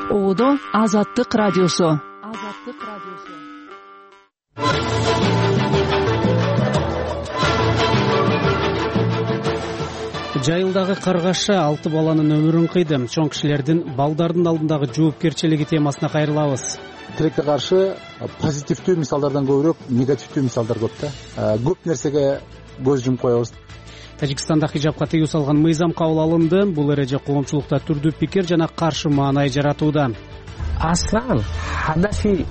Оодо Азаттык радиосу. Жайылдагы каргаша 6 баланын өмүрүн кыйды. Чоң кишилердин балдардын алдындагы жоопкерчилиги темасына кайрылабыз. Тилекке каршы позитивдүү мисалдардан көбүрөөк негативдүү мисалдар көп да. Көп нерсеге көз жумуп коебуз. Тажикстанда хижапка тыюу салган мыйзам кабыл алынды. Бул эреже коомчулукта түрдүү пикир жана каршы маанай жаратууда.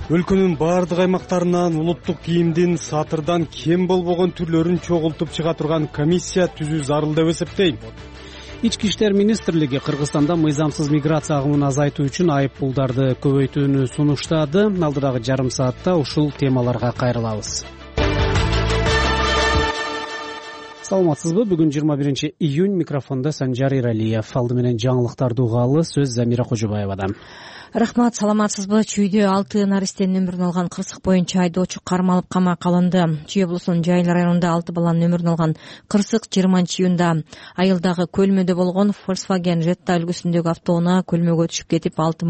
Өлкөнүн баардык аймактарынан улуттук кийимдин сатырдан кем болбогон түрлөрүн чогултуп чыга турган комиссия түзүү зарыл деп эсептейм. Ички иштер министрлиги Кыргызстанда мыйзамсыз миграция агымын азайтуу үчүн айып пулдарды көбөйтүүнү сунуштады. Алдыдагы жарым саатта ушул темаларга кайрылабыз. Саламатсызбы? Бүгүн 21 июнь, микрофондо Санжар Иралиев. Алды менен жаңылыктарды угалы, сөз Замира Кожобаевадан. Рахмат, саламатсызбы? Чүйдө 6 наристенин өмүрүн алган кырсык боюнча айдоочу кармалып камакка алынды. Чүй облусунун Жайыл районунда 6 баланын өмүрүн алган кырсык 20-июнда айылдагы көлмөдө болгон Volkswagen Jetta үлгүсүндөгү автоунаа көлмөгө түшүп кетип 6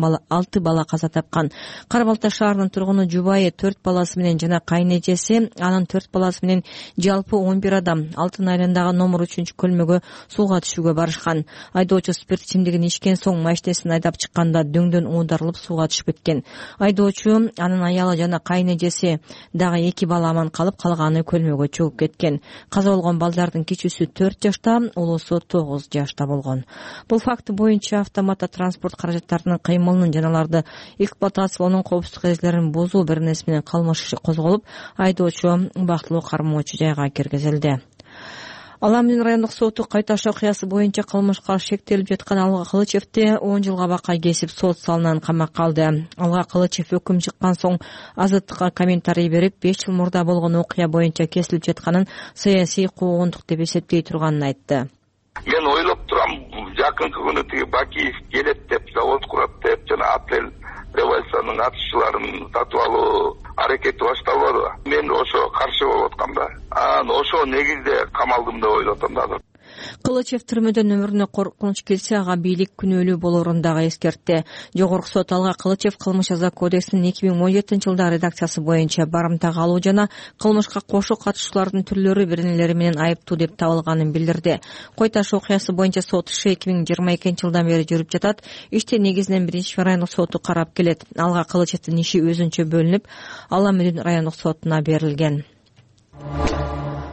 бала каза тапкан. Кара Балта шаарынын тургуну жубайы 4 баласы менен жана кайнэжеси, анын 4 баласы менен жалпы 11 адам Алтын айылындагы номер 3 көлмөгө сууга түшүүгө барышкан. Айдоочу спирт ичимдигин ичкен соң машинесин айдап чыкканда дөңдөн дарылып сууга түшүп кеткен. Айдоочу, анын аялы жана кайнэжеси дагы 2 бала аман калып, калганы көлмөгө чыгып кеткен. Каза болгон балдардын кичүүсү 4 жашта, улуусу 9 жашта болгон. Бул факт боюнча автоматта транспорт каражаттарынын кыймылынын жана аларды эксплуатациялоонун коопсуздук эрежелерин бузуу беренеси менен кылмыш иши козголуп, айдоочу бактылуу кармоочу жайга киргизилди. Ала Эмне райондук соту Кайташ окуясы боюнча кылмышка шектелип жаткан Алга Кылычевди 10 жылга бакка кесип сот залынан камакка алды. Алга Кылычев өкүм чыккан соң Азаттыкка комментарий берип, 5 жыл мурда болгон окуя боюнча кесилип жатканын саясий куугундук деп эсептей турганын айтты. Мен ойлоп турам, жакынкы күнү тиги Бакиев келет деп, завод курат деп, жана апрель революциянын катышчыларын сатып алуу аракети башталбадыбы? Мен ошо каршы болуп аткам да. Ошо негизде камалдым деп ойлоп атам да. Кылычев түрмөдөн өмүрүнө коркунуч келсе, ага бийлик күнөөлүү болоорун дагы эскертти. Жогорку сот Алга Кылычев кылмыш жаза кодексинин 2017 жылдагы редакциясы боюнча барымтага алуу жана кылмышка кошо катышуулардын түрлөрү биринелери менен айыптуу деп табылганын билдирди. Койташ окуясы боюнча сот иши 2022 жылдан бери жүрүп жатат. Ишти негизинен 1 райондук соту карап келет. Алга Кылычевдин иши өзүнчө бөлүнүп, Ала Эмне райондук сотуна берилген.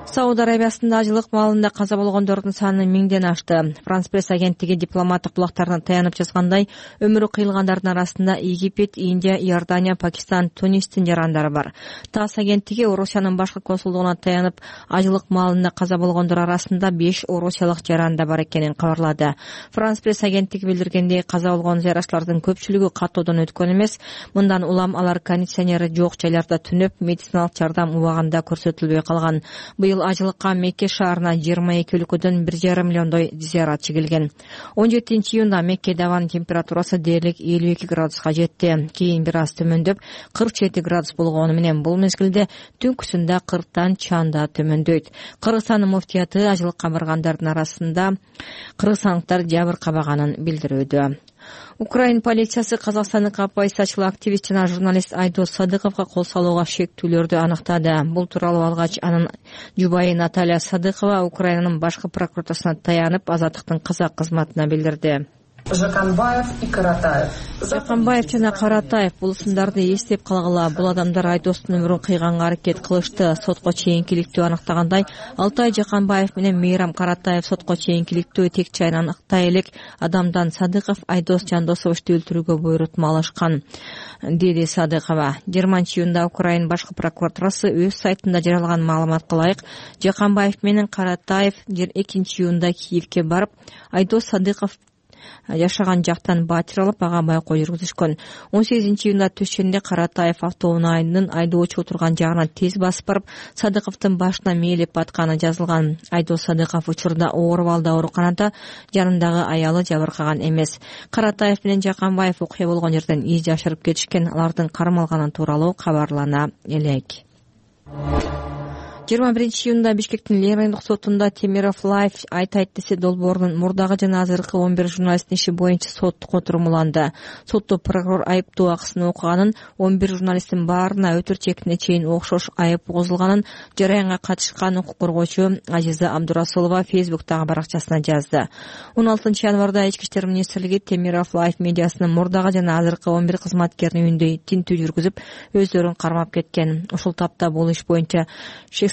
Сауд Арабиясында ажылык маалында каза болгондордун саны 1000ден ашты. Франс пресс агенттиги дипломаттык булактарына таянып жазгандай, өмүрү кыйылгандардын арасында Египет, Индия, Иордания, Пакистан, Тунистин жарандары бар. ТАСС агенттиги Орусиянын башкы консулдугуна таянып, ажылык маалында каза болгондор арасында 5 орусиялык жаранда бар экенин кабарлады. Франс пресс агенттиги билдиргендей, каза болгон зыяратчылардын көпчүлүгү каттоодон өткөн эмес. Мындан улам алар кондиционери жок жайларда түнөп, медициналык жардам убагында көрсөтүлбөй калган. Быйыл ажылыкка Мекке шаарына 22 өлкөдөн 1,5 миллиондой зыяратчы келген. 17 июнда Меккеде абанын температурасы дээрлик 52 градуска жетти. Кийин бир аз төмөндөп 47 градус болгону менен бул мезгилде түнкүсүндө 40тан чанда төмөндөйт. Кыргызстандын муфтияты ажылыкка баргандардын арасында кыргызстандыктар жабыр кабаганын билдирүүдө. Украин полициясы казакстандык оппозициячыл активист жана журналист Айдос Садыковго кол салууга шектүүлөрдү аныктады. Бул тууралуу алгач анын жубайы Наталья Садыкова Украинанын башкы прокуратурасына таянып, Азаттыктын казак кызматына билдирди. Жаканбаев и Каратаев. Жаканбаев жана Каратаев бул сындарды эстеп калгыла. Бул адамдар Айдостун өмүрүн кыйганга аракет кылышты. Сотко чейинкиликтүү аныктагандай, Алтай Жаканбаев менен Мейрам Каратаев сотко чейинкиликтүү тек чайын аныктай элек адамдан Садыков Айдос Жандосовичти өлтүрүүгө буйрутма алышкан, деди Садыкова. 20 июнда Украин башкы прокуратурасы өз сайтында жарыялаган маалыматка ылайык, Жаканбаев менен Каратаев 2 июнда Киевке барып, Айдос Садыков жашаган жактан батир алып, ага байкоо жүргүзүшкөн. 18 июнда түшүндө Каратаев автоунаанын айдоочу отурган жагына тез басып барып, Садыковдун башына мээлеп атканы жазылган. Айдос Садыков учурда оор абалда ооруканада, жанындагы аялы жабыркаган эмес. Каратаев менен Жаканбаев окуя болгон жерден из жашырып кетишкен, алардын кармалганы тууралуу кабарлана элек. 21-июнда Бишкектин Ленин райондук сотунда Темиров Лайф айтайт десе долбоорунун мурдагы жана азыркы 11 журналисттин иши боюнча соттук отурумуланды. Сотто прокурор айыптоо акысын окуганын, 11 журналисттин баарына өтөр чегине чейин окшош айып козулганын жараянга катышкан укук коргоочу Ажиза Абдурасулова Фейсбуктагы баракчасына жазды. 16 январда Ички иштер министрлиги Темиров Лайф медиасынын мурдагы жана азыркы 11 кызматкеринин үйүндө тинтүү жүргүзүп, өздөрүн кармап кеткен. Ушул тапта бул иш боюнча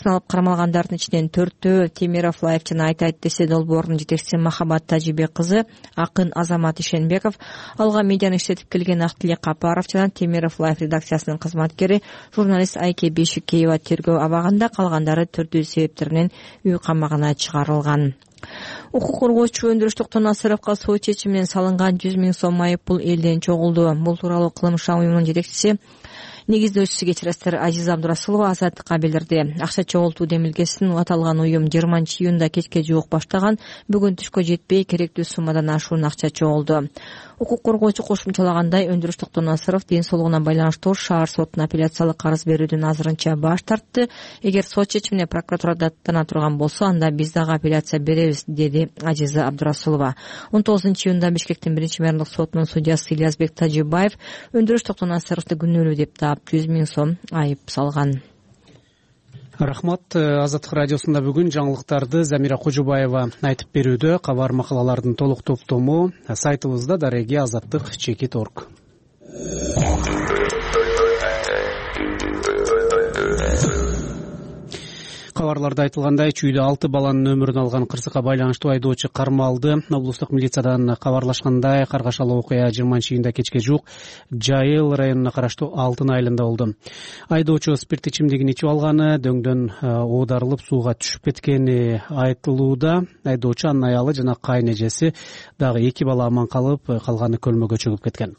алып кармалгандардын ичинен 4-төө Темиров Лайф жана айтайт десе долбоорунун жетекчиси Махабат Тажибек кызы, акын Азамат Ишенбеков, алга медианы иштетип келген Актилек Капаров жана Темиров Лайф редакциясынын кызматкери журналист Айке Бешикеева тергөө абагында, калгандары түрдүү себептеринен үй камагына чыгарылган. Укук коргоочу Өндүрүш Тонасыровго сот чечими менен салынган 100 000 сом айыппул элден чогулду. Бул тууралуу кылмыш уюмунун жетекчиси, негиздөөчүсү кечиресиздер Ажиза Абдурасулова Азаттыкка билдирди. Акча чогултуу демилгесин аталган уюм 20-июнда кечке жуук баштаган, бүгүн түшкө жетпей керектүү суммадан ашуун акча чогулду. Укук коргоочу кошумчалагандай, Өндүрүш Тонасыров ден соолугуна байланыштуу шаар сотуна апелляциялык арыз берүүдөн азырынча баш тартты. Эгер сот чечимине прокуратура даттана турган болсо, анда биз дагы апелляция беребиз, деди Ажиза Абдурасулова. 19-июнда Бишкектин 1-мэрдик сотунун судьясы Ильязбек Тажибаев Өндүрүш Тонасыровду күнөөлүү деп таап 100 000 сом айып салган. Рахмат. Азаттык радиосунда бүгүн жаңылыктарды Замира Кожубаева айтып берүүдө. Кабар макалалардын толук топтому сайтыбызда dareги-azаттык.org. Кабарларда айтылгандай, чүйдө 6 баланын өмүрүн алган кырсыкка байланыштуу айдоочу кармалды. Облустук милициядан кабарлашкандай, каргашалуу окуя 20-июнда кечке жуук Жайыл районуна караштуу Алтын айылында болду. Айдоочу спирт ичимдигин ичип алганы, дөңдөн оодарылып сууга түшүп кеткени айтылууда. Айдоочу, анын аялы жана кайнэжеси дагы 2 бала аман калып, калганы көлмөгө чөгүп кеткен.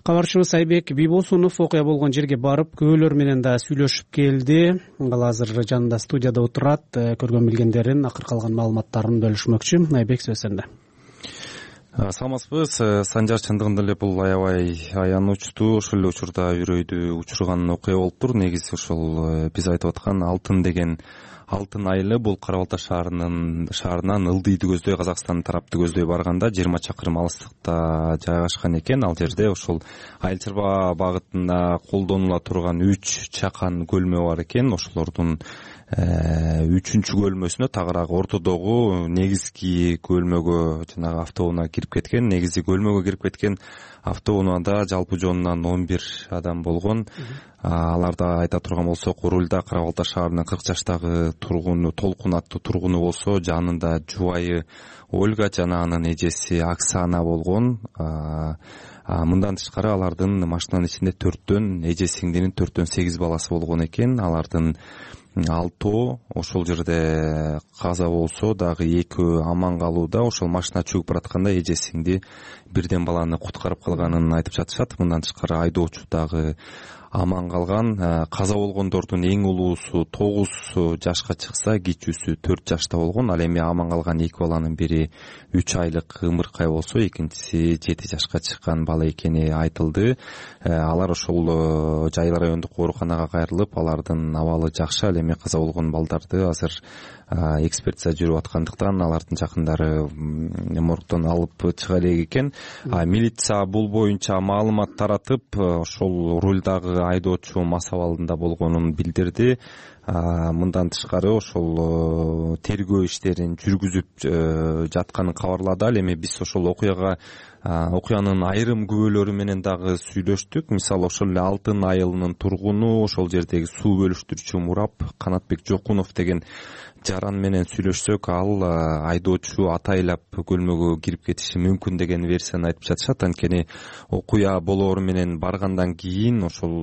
Кабарчыбыз Айбек Бибосунов окуя болгон жерге барып, күбөлөр менен да сүйлөшүп келди. Ал азыр жанында студияда отурат, көргөн билгендерин, акыр калган маалыматтарын бөлүшмөкчү. Айбек, сөз сенде. Саламатсызбы. Санжар, чындыгында эле бул аябай аянычтуу, ошол эле учурда үрөйдү учурган окуя болуптур. Негизи ошол биз айтып аткан Алтын айылы бул Кара Балта шаарынан Ылдыйды көздөй, Казакстан тарапты көздөй барганда 20 чакырым алыстыкта жайгашкан экен. Ал жерде ошол Айыл чарба багытында колдонула турган 3 чакан көлмө бар экен. Ошолордун 3-чү көлмөсүнө тагыраак ортодогу негизги көлмөгө, жанагы автоунаа кирип кеткен. Негизи көлмөгө кирип кеткен автоунаада жалпы жоонунан 11 адам болгон. Аларда айта турган болсок, рулда Кара Балта шаарынын 40 жаштагы тургуну, Толкун аттуу тургуну болсо, жанында жубайы Ольга жана анын эжеси Оксана болгон. Мындан тышкары алардын машинанын ичинде 4төн эже сиңдинин 4төн 8 баласы болгон экен. Алардын 6 ошол жерде каза болсо, дагы 2 аман калууда. Ошол машина чөгүп баратканда эже сиңди бирден баланы куткарып калганын айтып жатышат. Мындан тышкары айдоочу дагы аман калган. Каза болгондордун эң улуусу 9 жашка чыкса, кичүүсү 4 жашта болгон. Ал эми аман калган 2 баланын бири 3 айлык ымыркай болсо, экинчиси 7 жашка чыккан бала экени айтылды. Алар ошол Жайыл райондук ооруканага кайрылып, алардын абалы жакшы. Ал эми каза болгон балдарды азыр экспертиза жүрүп аткандыктан алардын жакындары моргдон алып чыга элек экен. Милиция бул боюнча маалымат таратып, ошол рулдагы айдоочу мас абалында болгонун билдирди. Мындан тышкары ошол тергөө иштерин жүргүзүп жатканын кабарлады. Ал эми биз ошол окуянын айрым күбөлөрү менен дагы сүйлөштүк. Мисалы, ошол эле Алтын айылынын тургуну, ошол жердеги суу бөлүштүрүүчү мурап Канатбек Жокунов деген жаран менен сүйлөшсөк, ал айдоочу атайлап көлмөгө кирип кетиши мүмкүн деген версияны айтып жатышат. Анткени окуя болоору менен баргандан кийин ошол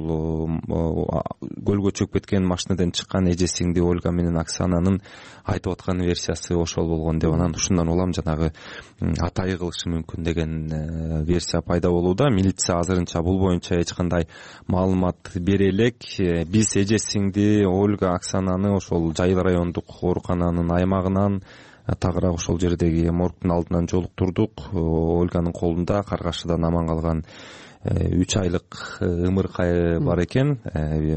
көлгө чөгүп кеткен машинадан чыккан эже сиңди Ольга менен Оксананын айтып аткан версиясы ошол болгон деп, анан ушундан улам жанагы атай кылышы мүмкүн деген версия пайда болууда. Милиция азырынча бул боюнча эч кандай маалымат бере элек. Биз эже сиңди Ольга Оксананы ошол Жайыл райондук оорукананын аймагынан тагыраак ошол жердеги моргдун алдынан жолуктурдук. Ольганын колунда Каргашыдан аман калган 3 айлык ымыркайы бар экен.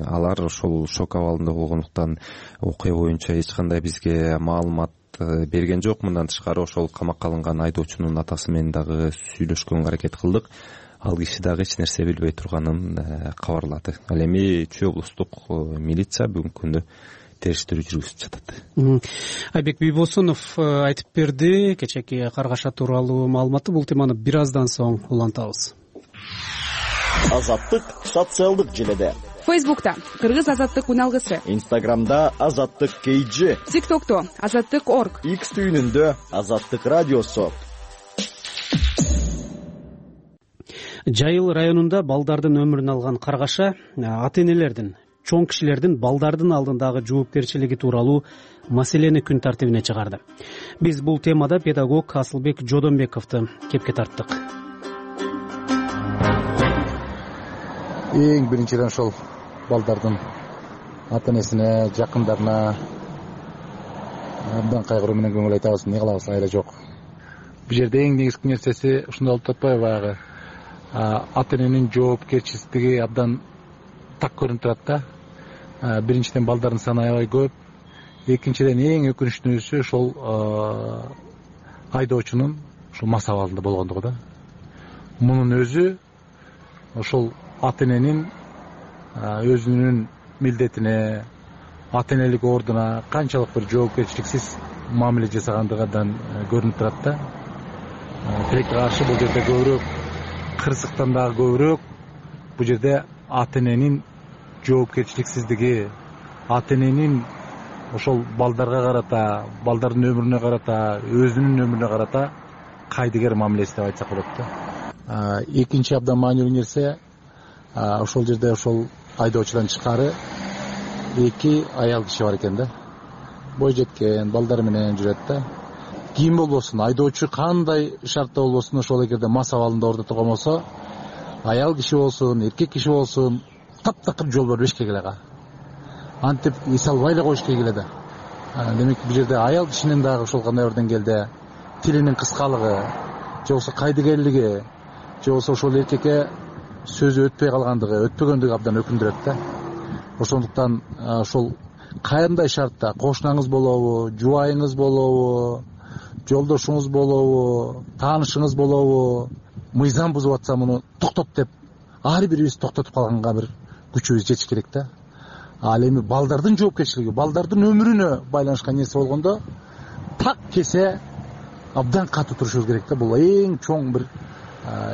Алар ошол шок абалында болгондуктан окуя боюнча эч кандай бизге маалымат берген жок. Мындан тышкары ошол камакка алынган айдоочунун атасы менен дагы сүйлөшкөнгө аракет кылдык. Ал киши дагы эч нерсе билбей турганын кабарлады. Ал эми Чүй облустук милиция бүгүнкү күндө териштирүү жүргүзүп жатат. Айбек Бийбосунов айтып берди кечээки Каргаша тууралуу маалыматты. Бул теманы бир аздан соң улантабыз. Азаттык социалдык желеде. Фейсбукта Кыргыз азаттык уналгысы, Инстаграмда Азаттык KG, ТикТокто Азаттык.org, X түйүнүндө Азаттык радиосу. Жайыл районунда балдардын өмүрүн алган Каргаша ата-энелердин, чоң кишилердин балдардын алдындагы жоопкерчилиги тууралуу маселени күн тартибине чыгарды. Биз бул темада педагог Асылбек Жодонбековду кепке тарттык. Эң биринчиден ошол балдардын ата-энесине, жакындарына абдан кайгыруу менен көңүл айтабыз. Не кылабыз, айла жок. Бул жерде эң негизги нерсеси ушундай болуп атпайбы, баягы ата-эненин жоопкерчилиги абдан так көрүнүп турат да. Биринчиден балдардын саны аябай көп. Экинчиден эң өкүнүчтүүсү ошол айдоочунун ушул мас абалында болгондугу да. Мунун өзү ошол ата-эненин өзүнүн милдетине, ата-энелик ордуна канчалык бир жоопкерчиликсиз мамиле жасагандыгынан көрүнүп турат да. Тилекке каршы бул жерде көбүрөөк, кырсыктан дагы көбүрөөк бул жерде ата-эненин жоопкерчиликсиздиги, ата-эненин ошол балдарга карата, балдардын өмүрүнө карата, өзүнүн өмүрүнө карата кайдыгер мамилеси деп айтсак болот да. Экинчи абдан маанилүү нерсе ошол жерде ошол айдоочудан тышкары 2 аял киши бар экен да. Бой жеткен балдар менен жүрөт да. Ким болбосун, айдоочу кандай шартта болбосун, ошол эгерде мас абалында ордо турган болсо, аял киши болсун, эркек киши болсун, таптакыр жол бербеш керек эле. Антип эс албай эле коюш керек эле да. Демек бул жерде аял кишинин дагы ошол кандай бир деңгээлде тилинин кыскалыгы, же болбосо кайдыгерлиги, же болбосо ошол эркекке сөзү өтпөй калгандыгы, өтпөгөндүгү абдан өкүндүрөт да. Ошондуктан ошол кандай шартта кошунаңыз болобу, жубайыңыз болобу, жолдошуңуз болобу, таанышыңыз болобу, мыйзам бузуп атса муну токтот деп ар бирибиз токтотуп калганга бир күчүбүз жетиш керек да. Ал эми балдардын жоопкерчилиги, балдардын өмүрүнө байланышкан нерсе болгондо так кесе абдан катуу турушубуз керек да. Бул эң чоң бир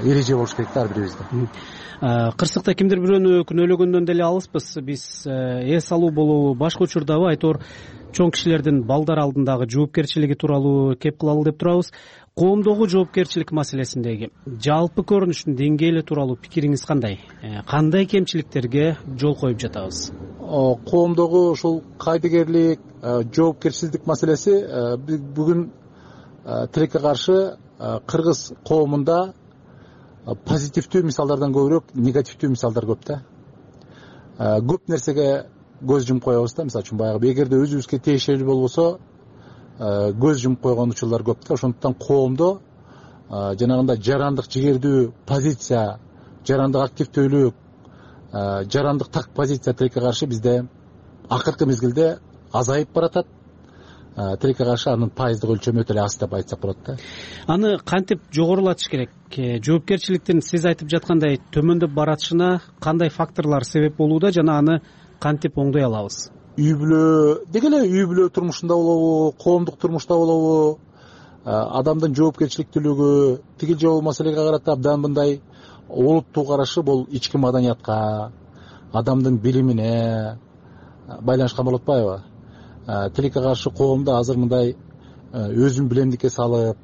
эреже болуш керек да ар бирибизде. Кырсыкта кимдир бирөөнү күнөөлөгөндөн деле алыспыз. Биз эс алуу болобу, башка учурдабы айтор чоң кишилердин балдар алдындагы жоопкерчилиги тууралуу кеп кылалы деп турабыз. Коомдогу жоопкерчилик маселесиндеги жалпы көрүнүштүн деңгээли тууралуу пикириңиз кандай? Кандай кемчиликтерге жол коюп жатабыз? Коомдогу ушул кайдыгерлик, жоопкерчилик маселеси бүгүн тилекке каршы кыргыз коомунда позитивдүү мисалдардан көбүрөөк негативдүү мисалдар көп да. Көп нерсеге көз жумуп коебуз да. Мисалы үчүн баягы эгерде өзүбүзгө тиешелүү болбосо көз жумуп койгон учурлар көп да. Ошондуктан коомдо жанагындай жарандык жигердүү позиция, жарандык активдүүлүк, жарандык так позиция тилекке каршы бизде акыркы мезгилде азайып баратат. Тилекке каршы анын пайыздык өлчөмү өтө эле аз деп айтсак болот да. Аны кантип жогорулатыш керек? Жоопкерчиликтин сиз айтып жаткандай төмөндөп баратышына кандай факторлор себеп болууда жана аны кантип оңдой алабыз? Үй бүлө деги эле үй бүлө турмушунда болобу, коомдук турмушта болобу, адамдын жоопкерчиликтүүлүгү тигил же болбол маселеге карата абдан мындай олуттуу карашы бул ички маданиятка, адамдын билимине байланышкан болуп атпайбы? Тилекке каршы коомдо азыр мындай өзүн билемдикке салып,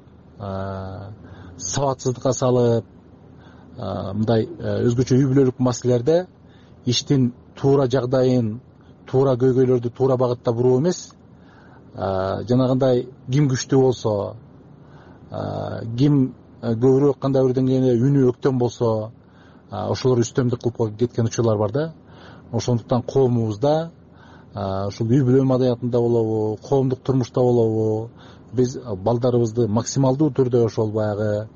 сабатсыздыкка салып, мындай өзгөчө үй бүлөлүк маселелерде иштин туура жагдайын, туура көйгөйлөрдү туура багытта буруу эмес, жанагындай ким күчтүү болсо, ким көбүрөөк кандай бир деңгээлде үнү өктөм болсо, ошолор үстөмдүк кылып кеткен учурлар бар да. Ошондуктан коомубузда ушул үй бүлө маданиятында болобу, коомдук турмушта болобу, биз балдарыбызды максималдуу түрдө ошол баягы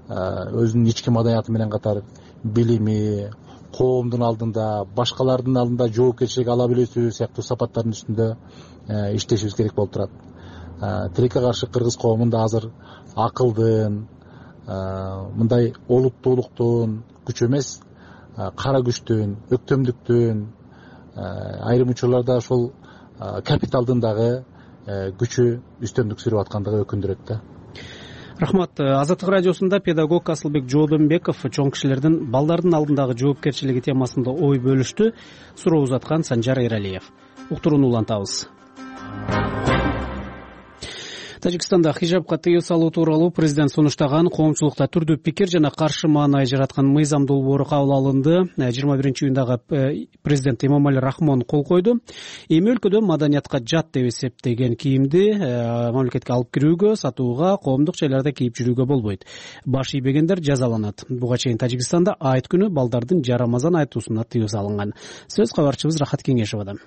өзүнүн ички маданияты менен катар билими, коомдун алдында, башкалардын алдында жоопкерчилик ала билүүсү сыяктуу сапаттардын үстүндө иштешибиз керек болуп турат. Тилекке каршы кыргыз коомунда азыр акылдын, мындай олуттуулуктун күчү эмес, кара күчтүн, өктөмдүктүн, айрым учурларда ошол капиталдын дагы күчү үстөмдүк сүрүп аткандыгы өкүндүрөт да. Рахмат. Азаттык радиосунда педагог Асылбек Жоодонбеков чоң кишилердин балдардын алдындагы жоопкерчилиги темасында ой бөлүштү. Суроо узаткан Санжар Эралиев. Уктурууну улантабыз. Тажикстанда хижабка тыюу салуу тууралуу президент сунуштаган коомчулукта түрдүү пикир жана каршы маанай жараткан мыйзам долбоору кабыл алынды. 21-июндагы президент Эмомали Рахмон кол койду. Эми өлкөдө маданиятка жат деп эсептеген кийимди мамлекетке алып кирүүгө, сатууга, коомдук жайларда кийип жүрүүгө болбойт. Баш ийбегендер жазаланат. Буга чейин Тажикстанда айт күнү балдардын жарамазан айтуусуна тыюу салынган. Сөз кабарчыбыз Рахат Кеңешовадан.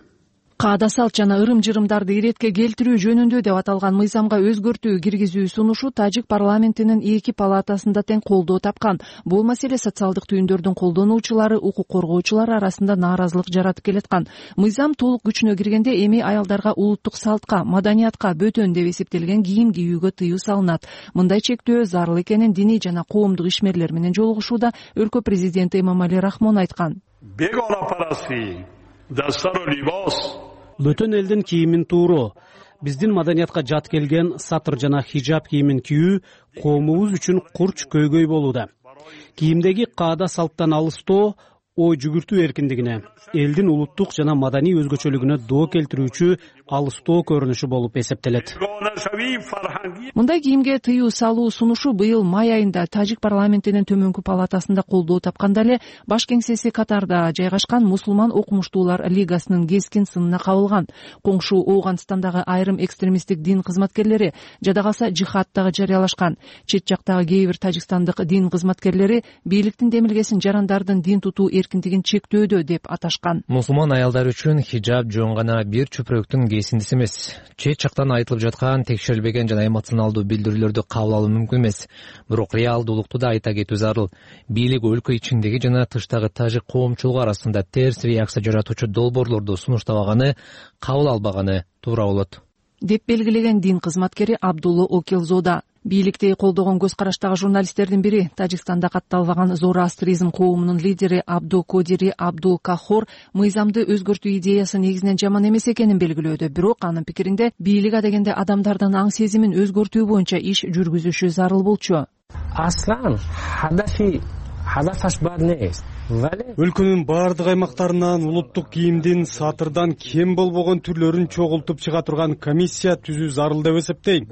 Каада салт жана ырым-жырымдарды иретке келтирүү жөнүндө деп аталган мыйзамга өзгөртүү киргизүү сунушу Тажик парламентинин 2 палатасында тең колдоо тапкан. Бул маселе социалдык түйүндөрдүн колдонуучулары, укук коргоочулар арасында нааразылык жаратып келаткан. Мыйзам толук күчүнө киргенде эми аялдарга улуттук салтка, маданиятка бөтөн деп эсептелген кийим кийүүгө тыюу салынат. Мындай чектөө зарыл экенин диний жана коомдук ишмерлер менен жолугушууда өлкө президенти Эмомали Рахмон айткан. Бөтөн элдин кийимин тууроо, биздин маданиятка жат келген сатыр жана хижаб кийимин кийүү коомубуз үчүн курч көйгөй болууда. Кийимдеги каада салттан алыстоо ой жүгүртүү эркиндигине, элдин улуттук жана маданий өзгөчөлүгүнө доо келтирүүчү алыстоо көрүнүшү болуп эсептелет. Мындай кийимге тыюу салуу сунушу быйыл май айында Тажик парламентинин төмөнкү палатасында колдоо тапканда эле баш кеңсеси Катарда жайгашкан Мусулман окумуштуулар лигасынын кескин сынына кабылган. Коңшу Ооганстандагы айрым экстремисттик дин кызматкерлери, жада калса жихад дагы жарыялашкан. Чет жактагы кээ бир тажикстандык дин кызматкерлери бийликтин демилгесин жарандардын дин тутуу эркиндигин чектөөдө деп аташкан. Мусулман аялдар үчүн хижаб жөн гана бир чөпүрөктүн кесиндиси эмес. Чет жактан айтылып жаткан текшерилбеген жана эмоционалдуу билдирүүлөрдү кабыл алуу мүмкүн эмес. Бирок реалдуулукту да айта кетүү зарыл. Бийлик өлкө ичиндеги жана тыштагы тажик коомчулугу арасында терс реакция жаратуучу долбоорлорду сунуштабаганы, кабыл албаганы туура болот деп белгилеген дин кызматкери Абдулла Окелзода. Бийликти колдогон көз караштагы журналисттердин бири Тажикстанда катталбаган зороастризм коомунун лидери Абду Кодири Абдул Кахор мыйзамды өзгөртүү идеясы негизинен жаман эмес экенин белгилөөдө. Бирок анын пикиринде бийлик адегенде адамдардын аң сезимин өзгөртүү боюнча иш жүргүзүшү зарыл болчу. Өлкөнүн баардык аймактарынан улуттук кийимдин сатырдан кем болбогон түрлөрүн чогултуп чыга турган комиссия түзүү зарыл деп эсептейм.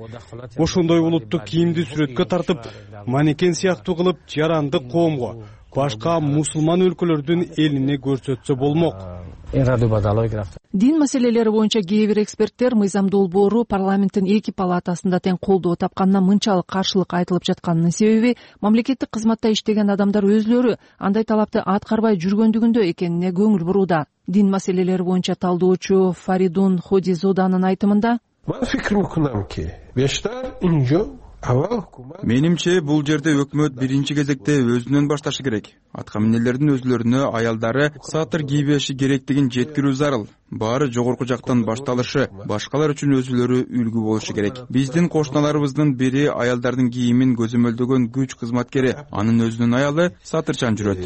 Ошондой улуттук кийимди сүрөткө тартып, манекен сыяктуу кылып жарандык коомго, башка мусулман өлкөлөрдүн элине көрсөтсө болмок. Дин маселелери боюнча кээ бир эксперттер мыйзам долбоору парламенттин 2 палатасында тең колдоо тапканына мынчалык каршылык айтылып жатканынын себеби мамлекеттик кызматта иштеген адамдар өзлөрү андай талапты аткарбай жүргөндүгүндө экенине көңүл бурууда. Дин маселелери боюнча талдоочу Фаридун Ходизоданын айтымында менимче бул жерде өкмөт биринчи кезекте өзүнөн башташы керек. Атка минелердин өзлөрүнө аялдары сатыр кийбеши керектигин жеткирүү зарыл. Баары жогорку жактан башталышы, башкалар үчүн өзүлөрү үлгү болушу керек. Биздин кошуналарыбыздын бири аялдардын кийимин көзөмөлдөгөн күч кызматкери, анын өзүнүн аялы сатырчан жүрөт.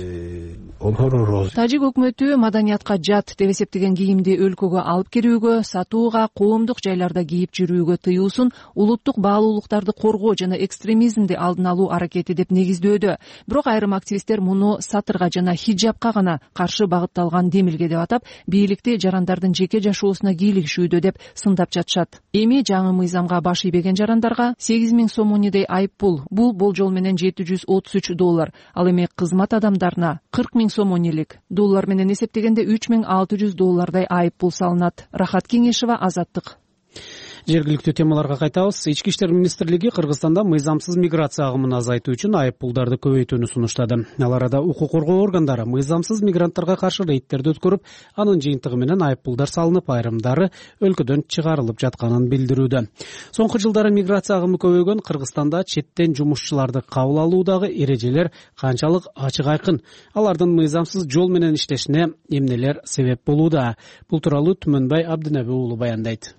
Тажик өкмөтү маданиятка жат деп эсептеген кийимди өлкөгө алып кирүүгө, сатууга, коомдук жайларда кийип жүрүүгө тыюусун улуттук баалуулуктарды коргоо жана экстремизмди алдын алуу аракети деп негиздөөдө. Бирок айрым активисттер муну сатырга жана хижабка гана каршы багытталган демилге деп атап, бийликти жарандардын жеке жашоосуна кийлигишүүдө деп сындап жатышат. Эми жаңы мыйзамга баш ийбеген жарандарга 8000 сомонидей айып пул. Бул болжол менен $733. Ал эми кызмат адамдарына 40 000 сомонилик, доллар менен эсептегенде $3600 айып пул салынат. Рахат Кеңешова, Азаттык. Жергиликтүү темаларга кайтабыз. Ички иштер министрлиги Кыргызстанда мыйзамсыз миграция агымын азайтуу үчүн айып пулдарды көбөйтүүнү сунуштады. Ал арада укук коргоо органдары мыйзамсыз мигранттарга каршы рейдтерди өткөрүп, анын жыйынтыгы менен айып пулдар салынып, айрымдары өлкөдөн чыгарылып жатканын билдирүүдө. Соңку жылдары миграция агымы көбөйгөн Кыргызстанда четтен жумушчуларды кабыл алуудагы эрежелер канчалык ачык айкын, алардын мыйзамсыз жол менен иштешине эмнелер себеп болууда? Бул тууралуу Түмөнбай Абдынаби уулу баяндайт.